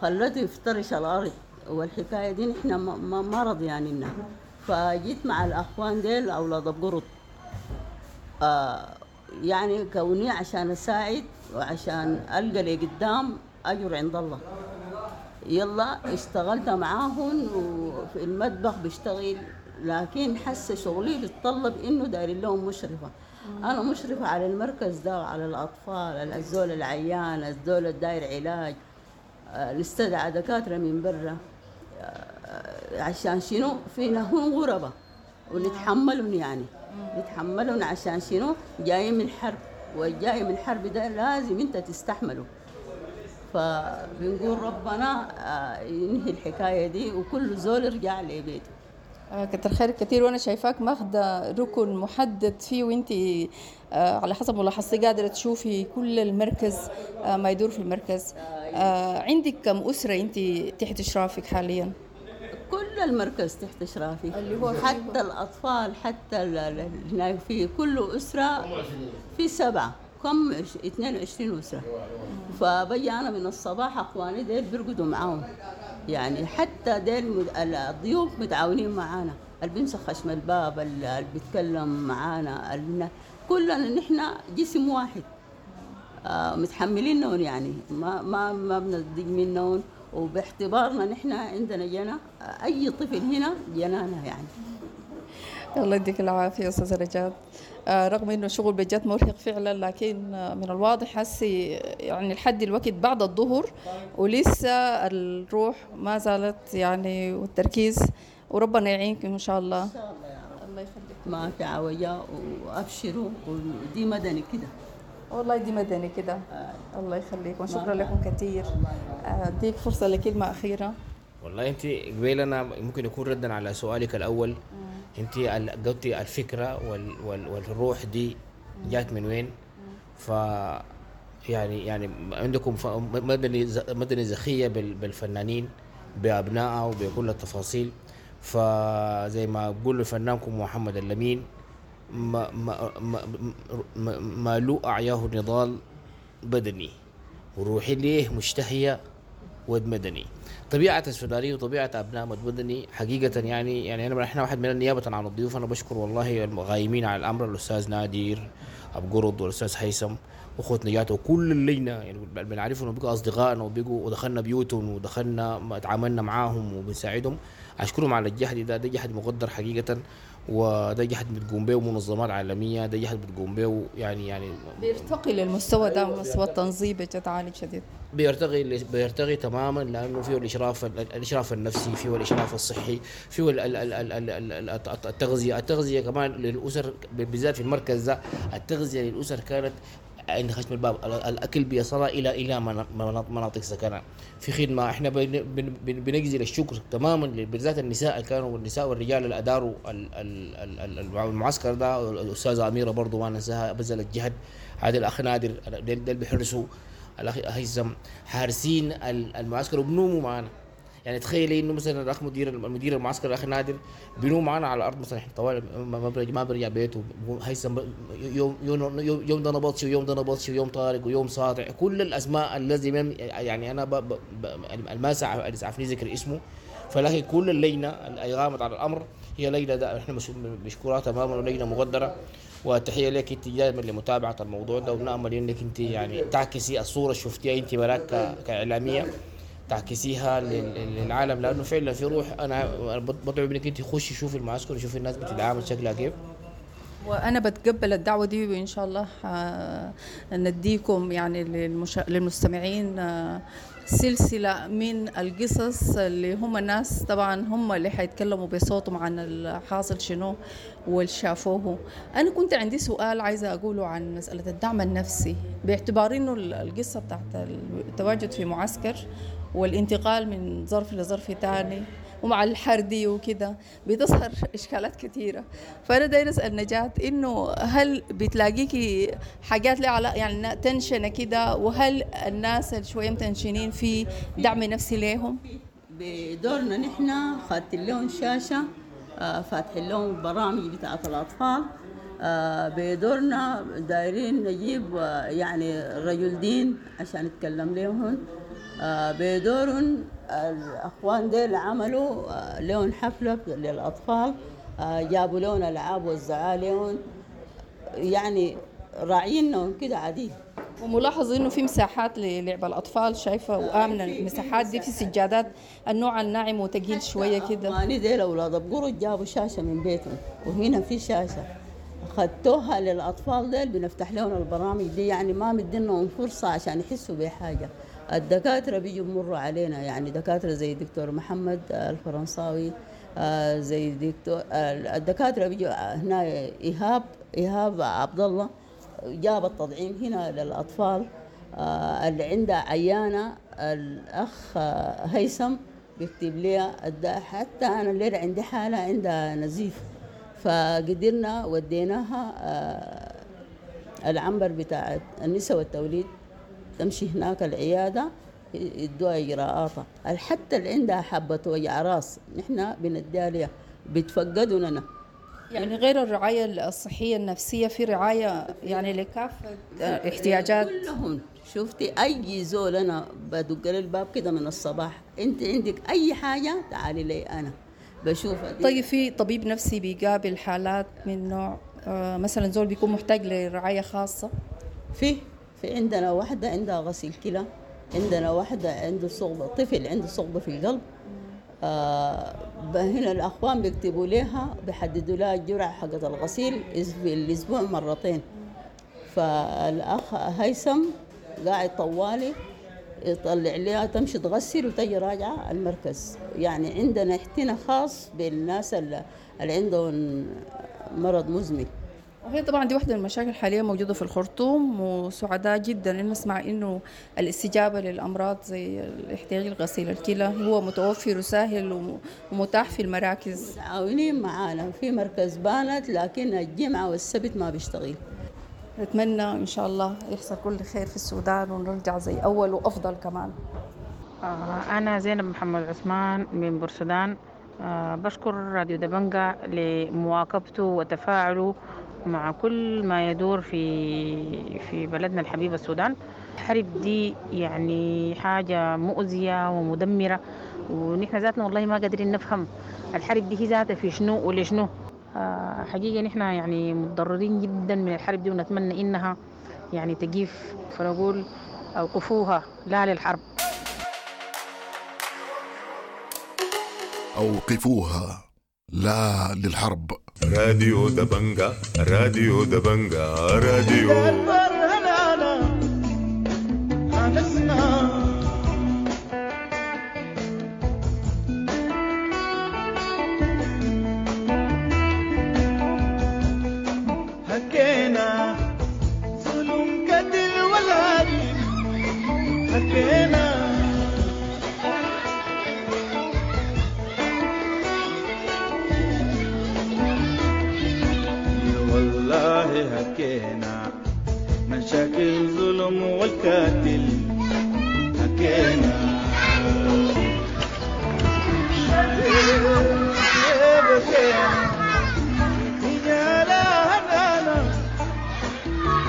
خلته يفترش الأرض، والحكاية دي نحن ما ما رضيانينها. فجيت مع الأخوان ديل أولاد القرط، آه يعني كوني عشان أساعد وعشان ألقى لقدام أجر عند الله. يلا اشتغلت معاهم وفي المطبخ بشتغل، لكن حس شغلي بيتطلب انه دايرين لهم مشرفة. انا مشرفة على المركز ده، على الاطفال، الزول العيان، الزول الداير علاج، نستدعى دكاترة من برا عشان شنو؟ فينا هم غربه ونتحملهم، يعني نتحملهم عشان شنو؟ جايين من حرب، والجاي من حرب ده لازم انت تستحمله. فبنقول ربنا ينهي الحكاية دي وكل زول يرجع لبيته. كتر خير كثير. وانا شايفاك ماخده ركن محدد فيه، وانت على حسب ملاحظتي قادرة تشوفي كل المركز، ما يدور في المركز. عندك كم اسره انت تحت اشرافك حاليا؟ كل المركز تحت اشرافي، اللي هو حتى الاطفال، حتى هناك في كل اسره في سبعة، كم اثنين وعشرين اسره. فبجي انا من الصباح اخواني ديل بيرقدوا معاهم، يعني حتى ديل الضيوف متعاونين معانا، اللي بيمسك خشم الباب، اللي بيتكلم معانا، اللي كلنا نحن جسم واحد، آه متحملينهم، يعني ما ما ما بنضيق منهم. وباعتبارنا نحن عندنا جنة، اي طفل هنا جنانا يعني. الله يديك العافية استاذه رجاء. آه رغم انه الشغل بجد مرهق فعلا، لكن من الواضح هسي يعني لحد الوقت بعد الظهر ولسه الروح ما زالت يعني والتركيز، وربنا يعينكم ان شاء الله. ان شاء الله يا رب. الله يخليك. ما في عوجة وابشروا، ودي مدني كده. والله دي مدني كده. آه. الله يخليكم، شكرا لكم كثير. اديك فرصة لكلمة اخيرة. والله انت قبيل انا ممكن يكون ردا على سؤالك الاول. انت قلتي الفكرة وال وال والروح دي جات من وين؟ ف يعني يعني عندكم مدني مدني زخيه بالفنانين بابنائها وبكل التفاصيل. فزي ما بقول لفنانكم محمد اللمين، ما ما ما ما, ما لو اعياه نضال بدني وروحي ليه مشتهيه ود مدني. طبيعة السودانية وطبيعة أبناء مدني حقيقة يعني يعني أنا إحنا واحد من النيابة عن الضيوف، أنا بشكر والله الغايمين على الأمر، الأستاذ نادر أبو قرض والأستاذ هيثم وأخوة نجاة وكل اللجنة، يعني بنعرفهم وبقوا أصدقائنا وبقوا ودخلنا بيوتهم ودخلنا تعاملنا معاهم وبنساعدهم. أشكرهم على الجهد ده، ده جهد مقدر حقيقة، وده جهد بتقوم به منظمات عالمية، ده جهد بتقوم به يعني يعني بيرتقي للمستوى ده، مستوى التنظيم بجد عالي شديد، بيرتقي بيرتقي تماما، لانه فيه الاشراف الاشراف النفسي، فيه الاشراف الصحي، فيه التغذية، التغذية كمان للاسر بالذات في المركز ده، التغذية للاسر كانت عند خشم الباب، الاكل بيصل الى الى مناطق سكنها. في خدمة احنا بنجزل الشكر تماما بالذات النساء اللي كانوا، والنساء والرجال اللي اداروا المعسكر ده، الاستاذة اميره برضو ما ننساها بذلت جهد، هذا الاخ نادر ديل بيحرسوا، الاخ هيثم حارسين المعسكر وبنوموا معنا. يعني تخيلي انه مثلا الاخ مدير المدير المعسكر الاخ نادر بينوم معنا على الارض مثلا، احنا طوال ما برجع ما برجع بيته، هيثم يوم يوم يوم ده نبطشي ويوم ده نبطشي ويوم طارق ويوم ساطع، كل الاسماء الذي يعني انا ب ب ما اسعفني ذكر اسمه، فلكن كل اللجنة اللي قامت على الامر هي لجنة ده احنا مشكورة تماما ولجنه مقدره. وتحية لك انت دائما لمتابعة الموضوع ده، ونامل انك انت يعني تعكسي الصورة اللي شفتيها انت براك كاعلاميه تعكسيها للعالم، لانه فعلا في روح. انا بدعو منك انت خشي شوفي المعسكر وشوفي الناس بتتعامل شكلها كيف. وانا بتقبل الدعوة دي، وان شاء الله نديكم يعني للمشا... للمستمعين سلسلة من القصص اللي هم الناس طبعا هم اللي حيتكلموا بصوتهم عن الحاصل شنو واللي شافوه. انا كنت عندي سؤال عايزه اقوله عن مسالة الدعم النفسي، باعتبار انه القصة بتاعت التواجد في معسكر والانتقال من ظرف لظرف تاني ومع الحردي وكده بتظهر إشكالات كثيرة. فأنا داير أسأل نجاة إنه هل بتلاقيكي حاجات لها علاقة يعني تنشنة كده، وهل الناس اللي شوية متنشنين في دعم نفسي ليهم؟ بدورنا نحن خدت لهم شاشة، فاتحين لهم برامج بتاعة الأطفال، آه بدورنا دايرين نجيب آه يعني رجل دين عشان يتكلم لهم. آه بدورن الأخوان ديل عملوا آه لهم حفلة للأطفال، آه جابوا لهم ألعاب وزعوا لهم، يعني راعينهم كده عادي. وملاحظ انه في مساحات للعب الاطفال شايفه وامنه المساحات دي، في سجادات النوع الناعم وتقيل شوية كده. اخواني ديل اولاد بقرد جابوا شاشة من بيتهم، وهنا في شاشة خدتوها للاطفال ديل، بنفتح لهم البرامج دي، يعني ما مدينهم فرصة عشان يحسوا بحاجة. الدكاترة بيجوا بمروا علينا، يعني دكاترة زي دكتور محمد الفرنساوي، زي دكتور الدكاترة بيجوا هنا، ايهاب ايهاب عبد الله جاب التطعيم هنا للأطفال. آه اللي عندها عيانة الأخ آه هيثم بيكتب لي، حتى أنا الليلة عندي حالة عندها نزيف، فقدرنا وديناها آه العنبر بتاع النساء والتوليد، تمشي هناك العيادة يدوها إجراءاتها. حتى اللي عندها حبة وجع راس نحن بنديها ليها، بتفقدوا. يعني غير الرعاية الصحية النفسية في رعاية يعني لكافة احتياجات كلهم. شفتي أي زول أنا بدق الباب كده من الصباح، أنت عندك أي حاجة تعالي لي أنا بشوفها. طيب في طبيب نفسي بيقابل حالات من نوع آه مثلا زول بيكون محتاج لرعاية خاصة؟ في في عندنا واحدة عندها غسيل كلى، عندنا واحدة عنده صغبة، طفل عنده صغبة في القلب. آه هنا الأخوان بيكتبوا لها، بيحددوا لها الجرعة حقت الغسيل في الأسبوع مرتين. فالأخ هيثم قاعد طوالي يطلع لها تمشي تغسل وتجي راجعة المركز. يعني عندنا احتناء خاص بالناس اللي عندهم مرض مزمن. وهي طبعا دي واحدة من المشاكل حاليا موجودة في الخرطوم، وسعداء جدا إن نسمع إنه الاستجابة للأمراض زي الاحتياج لغسيل الكلى هو متوفر وسهل ومتاح في المراكز. متعاونين معانا في مركز بانت، لكن الجمعة والسبت ما بيشتغل. نتمنى إن شاء الله يحصل كل خير في السودان ونرجع زي أول وأفضل كمان. أنا زينب محمد عثمان من بورسودان. بشكر راديو دبنجا لمواكبته وتفاعله مع كل ما يدور في في بلدنا الحبيب السودان. الحرب دي يعني حاجة مؤذية ومدمرة، ونحن ذاتنا والله ما قادرين نفهم الحرب دي هي ذاتها في شنو ولشنو. حقيقة نحن يعني متضررين جدا من الحرب دي، ونتمنى إنها يعني تقيف، فنقول أوقفوها لا للحرب. أوقفوها لا للحرب. راديو دبنجا، راديو دبنجا، راديو حكينا ظلم قتل والهري، حكينا والله، حكينا مشاكل ظلم والقاتل، حكينا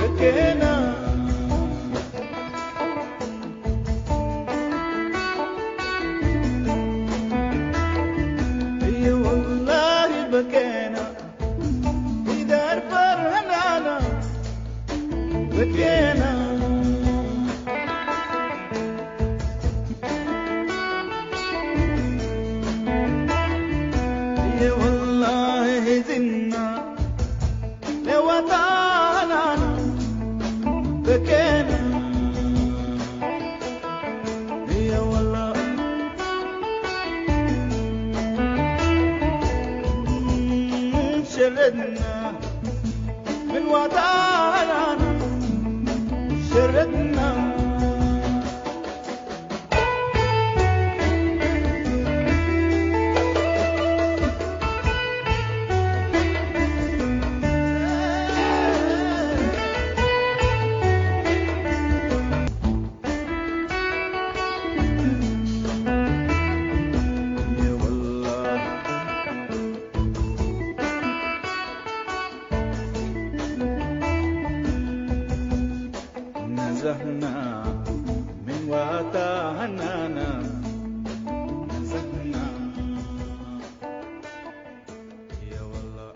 حكينا والله بكينا في دار فرهنانا بكينا. نزهنا من واتاهنانا نزهنا يا والله.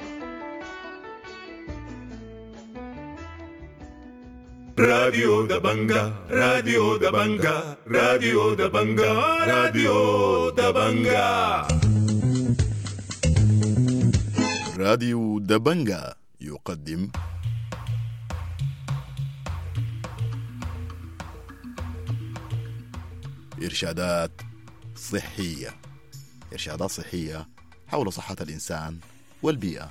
راديو دبنجا، راديو دبنجا، راديو دبنجا، راديو دبنجا. راديو دبنجا يقدم إرشادات صحية. إرشادات صحية حول صحة الإنسان والبيئة.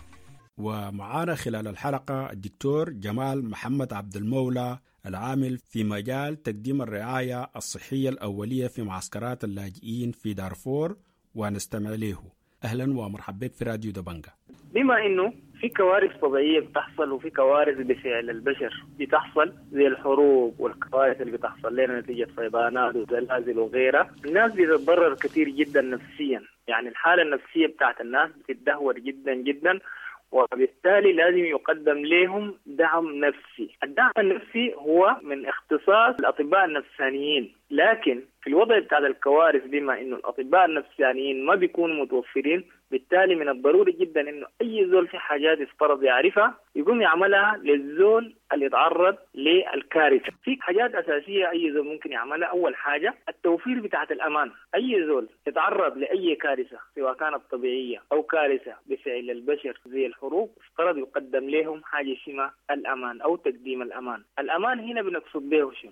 ومعانا خلال الحلقة الدكتور جمال محمد عبد المولى العامل في مجال تقديم الرعاية الصحية الأولية في معسكرات اللاجئين في دارفور، ونستمع له. أهلا ومرحبا بك في راديو دبنجا. بما انه في كوارث طبيعيه بتحصل وفي كوارث بفعل البشر بتحصل زي الحروب والكوارث اللي بتحصل لنا نتيجه فيضانات وزلازل وغيرها، الناس بتتضرر كثير جدا نفسيا، يعني الحاله النفسيه بتاعت الناس بتتدهور جدا جدا، وبالتالي لازم يقدم لهم دعم نفسي. الدعم النفسي هو من اختصاص الأطباء النفسانيين، لكن في الوضع بتاع الكوارث بما انه الأطباء النفسانيين ما بيكونوا متوفرين، بالتالي من الضروري جدا انه اي زول في حاجات يفترض يعرفها يقوم يعملها للزول اللي يتعرض للكارثه. في حاجات اساسيه اي زول ممكن يعملها. اول حاجه التوفير بتاعت الامان. اي زول يتعرض لاي كارثه سواء كانت طبيعيه او كارثه بفعل البشر زي الحروب، افترض يقدم لهم حاجه اسمها الامان او تقديم الامان. الامان هنا بنقصد به شنو؟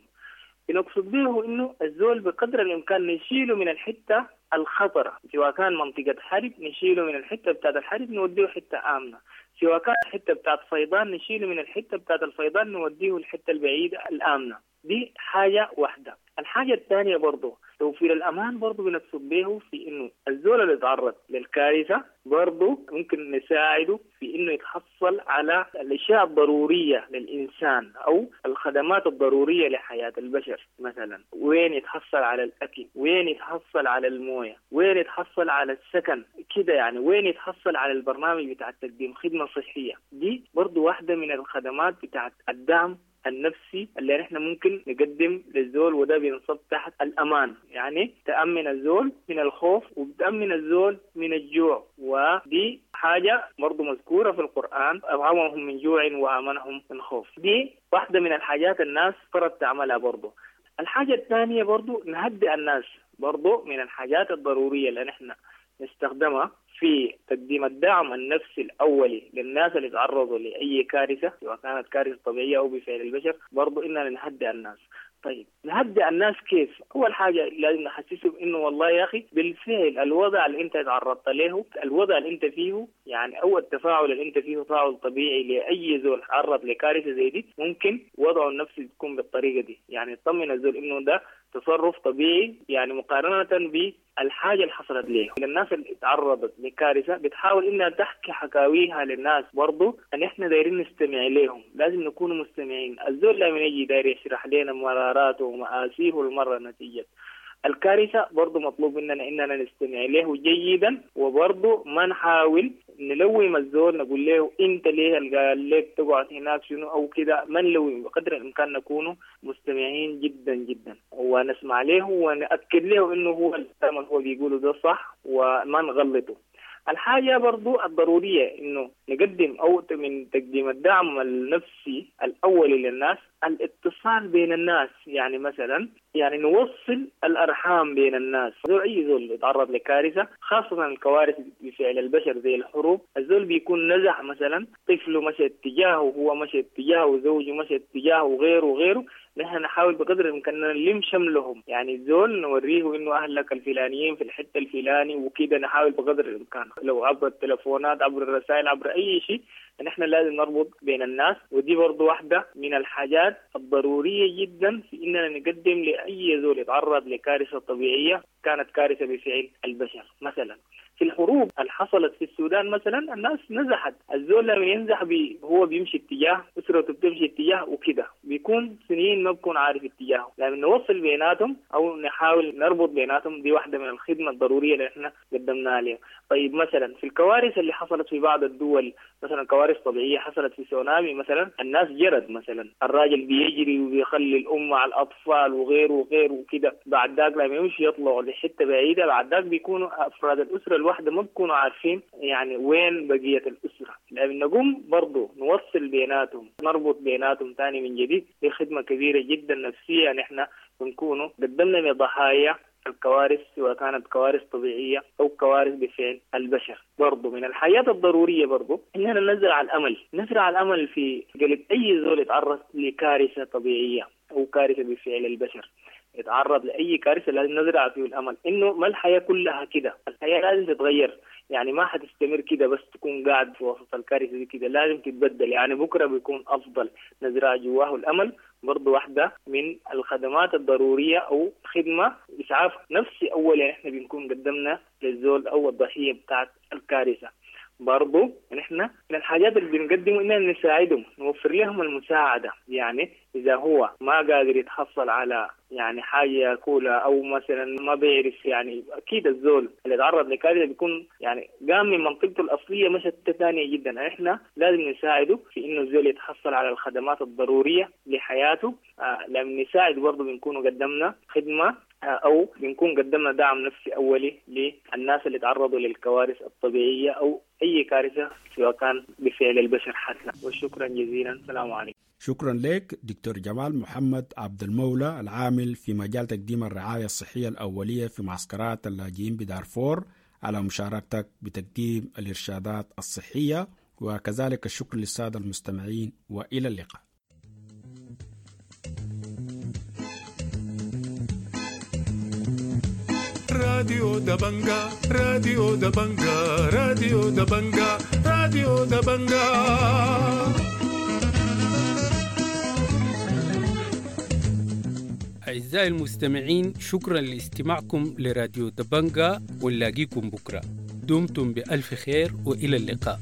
بنقصد به انه الزول بقدر الامكان نشيله من الحته الخطرة، سواء كان منطقة حرب نشيله من الحتة بتاعت الحرب نوديه حتة آمنة، سواء كان حتة بتاعت فيضان نشيله من الحتة بتاعت الفيضان نوديه الحتة البعيدة الآمنة. دي حاجة واحدة. الحاجة الثانية برضو توفير الأمان برضو بنقصد به في إنه الزول اللي يتعرض للكارثة برضو ممكن نساعده في إنه يتحصل على الأشياء الضرورية للإنسان أو الخدمات الضرورية لحياة البشر. مثلا وين يتحصل على الأكل، وين يتحصل على الموية، وين يتحصل على السكن كده يعني، وين يتحصل على البرنامج بتاع تقديم خدمة صحية. دي برضو واحدة من الخدمات بتاعت الدعم النفسي اللي نحن ممكن نقدم للزول، وده بينصب تحت الأمان، يعني تأمن الزول من الخوف وبتأمن الزول من الجوع. ودي حاجة برضو مذكورة في القرآن، أطعمهم من جوع وآمنهم من خوف. دي واحدة من الحاجات الناس فرض تعملها برضو. الحاجة الثانية برضو نهدئ الناس، برضو من الحاجات الضرورية اللي نحن نستخدمها في تقديم الدعم النفسي الأولي للناس اللي تعرضوا لأي كارثة سواء كانت كارثة طبيعية أو بفعل البشر، برضو إننا نهدئ الناس. طيب نهدئ الناس كيف؟ أول حاجة لازم نحسسهم إنه والله يا أخي بالفعل الوضع اللي أنت تعرضت له، الوضع اللي أنت فيه يعني، أو التفاعل اللي أنت فيه تفاعل طبيعي لأي زول تعرض لكارثة زي دي، ممكن وضعه النفسي يكون بالطريقة دي، يعني تطمن الزول إنه ده تصرف طبيعي يعني مقارنة بالحاجة اللي حصلت ليه. الناس اللي تعرضت لكارثة بتحاول إنها تحكي حكاويها للناس برضو، أن إحنا دايرين نستمع لهم، لازم نكون مستمعين. الزول لما يجي داير يشرح لنا مراراته ومآسيه المرة نتيجة الكارثة، برضو مطلوب مننا إننا نستمع له جيدا، وبرضو ما نحاول نلوم الزول نقول له أنت ليه قال لك تقعد هناك شنو أو كده، ما نلوم، بقدر الإمكان نكون مستمعين جدا جدا ونسمع له ونأكد له إنه هو الكلام اللي هو بيقوله ده صح وما نغلطه. الحاجة برضو الضرورية إنه نقدم أو من تقديم الدعم النفسي الأولي للناس الاتصال بين الناس، يعني مثلا يعني نوصل الأرحام بين الناس. زول أي زول يتعرض لكارثة، خاصة الكوارث بفعل البشر زي الحروب، الزول بيكون نزح مثلا طفله مشى اتجاهه، وهو مشى اتجاهه، وزوجه مشى اتجاهه، وغيره وغيره. نحن نحاول بقدر الإمكان نلم شملهم، يعني الزول نوريه إنه أهلك الفلانيين في الحتة الفلاني وكده، نحاول بقدر الإمكان لو عبر التلفونات عبر الرسائل عبر أي شيء، نحن لازم نربط بين الناس. ودي برضو واحدة من الحاجات الضرورية جدا في إننا نقدم لأي زول يتعرض لكارثة طبيعية كانت كارثة بفعل البشر مثلا. في الحروب اللي حصلت في السودان مثلا الناس نزحت، الزول لما ينزح بي هو بيمشي اتجاه، اسرته بتمشي اتجاه وكده، بيكون سنين ما بكون عارف اتجاهه. لما نوصل بيناتهم او نحاول نربط بيناتهم، دي واحده من الخدمه الضروريه اللي احنا قدمناها لهم. طيب مثلا في الكوارث اللي حصلت في بعض الدول، مثلا كوارث طبيعيه حصلت في سونامي مثلا، الناس جرت مثلا، الراجل بيجري وبيخلي الام مع الاطفال وغيره وغيره وكده، بعد ذاك لما يمشي يطلعوا لحته بعيده، بعد ذاك بيكونوا افراد الاسره الواحده ما بيكونوا عارفين يعني وين بقيه الاسره. لما نقوم برضه نوصل بيناتهم، نربط بيناتهم تاني من جديد، دي خدمه كبيره جدا نفسيه نحن بنكونوا قدمنا لضحايا الكوارث، سواء كانت كوارث طبيعية أو كوارث بفعل البشر. برضو من الحياة الضرورية برضو إننا نزرع الأمل، نزرع الأمل في قلب أي زول يتعرض لكارثة طبيعية أو كارثة بفعل البشر، يتعرض لأي كارثة لازم نزرع فيه الأمل إنه ما الحياة كلها كده، الحياة لازم تتغير، يعني ما حتستمر كده بس تكون قاعد في وسط الكارثة دي كده، لازم تتبدل، يعني بكرة بيكون أفضل. نزرع جواه الأمل برضو واحدة من الخدمات الضرورية أو خدمة إسعاف نفسي أولا إحنا بنكون قدمنا للزول أو الضحية بتاعت الكارثة. برضو نحن من الحاجات اللي بنقدمه إننا نساعدهم، نوفر لهم المساعدة، يعني إذا هو ما قادر يتحصل على يعني حاجة ياكلها أو مثلا ما بيعرف، يعني أكيد الزول اللي تعرض لكارثة بيكون يعني قام من منطقته الأصلية مشت ثانية جدا، إحنا لازم نساعده في إنه الزول يتحصل على الخدمات الضرورية لحياته. آه لما نساعد برضو بنكون قدمنا خدمة أو بنكون قدمنا دعم نفسي أولي للناس اللي تعرضوا للكوارث الطبيعية أو أي كارثة سواء كان بفعل البشر حتى. وشكرا جزيلا، السلام عليكم. شكرا لك دكتور جمال محمد عبد المولى، العامل في مجال تقديم الرعاية الصحية الأولية في معسكرات اللاجئين بدارفور، على مشاركتك بتقديم الإرشادات الصحية، وكذلك الشكر للسادة المستمعين، وإلى اللقاء. راديو دبنجا، راديو دبنجا، راديو دبنجا، راديو دبنجا. أعزائي المستمعين، شكرا لاستماعكم لراديو دبنجا، ونلاقيكم بكرة. دمتم بألف خير وإلى اللقاء.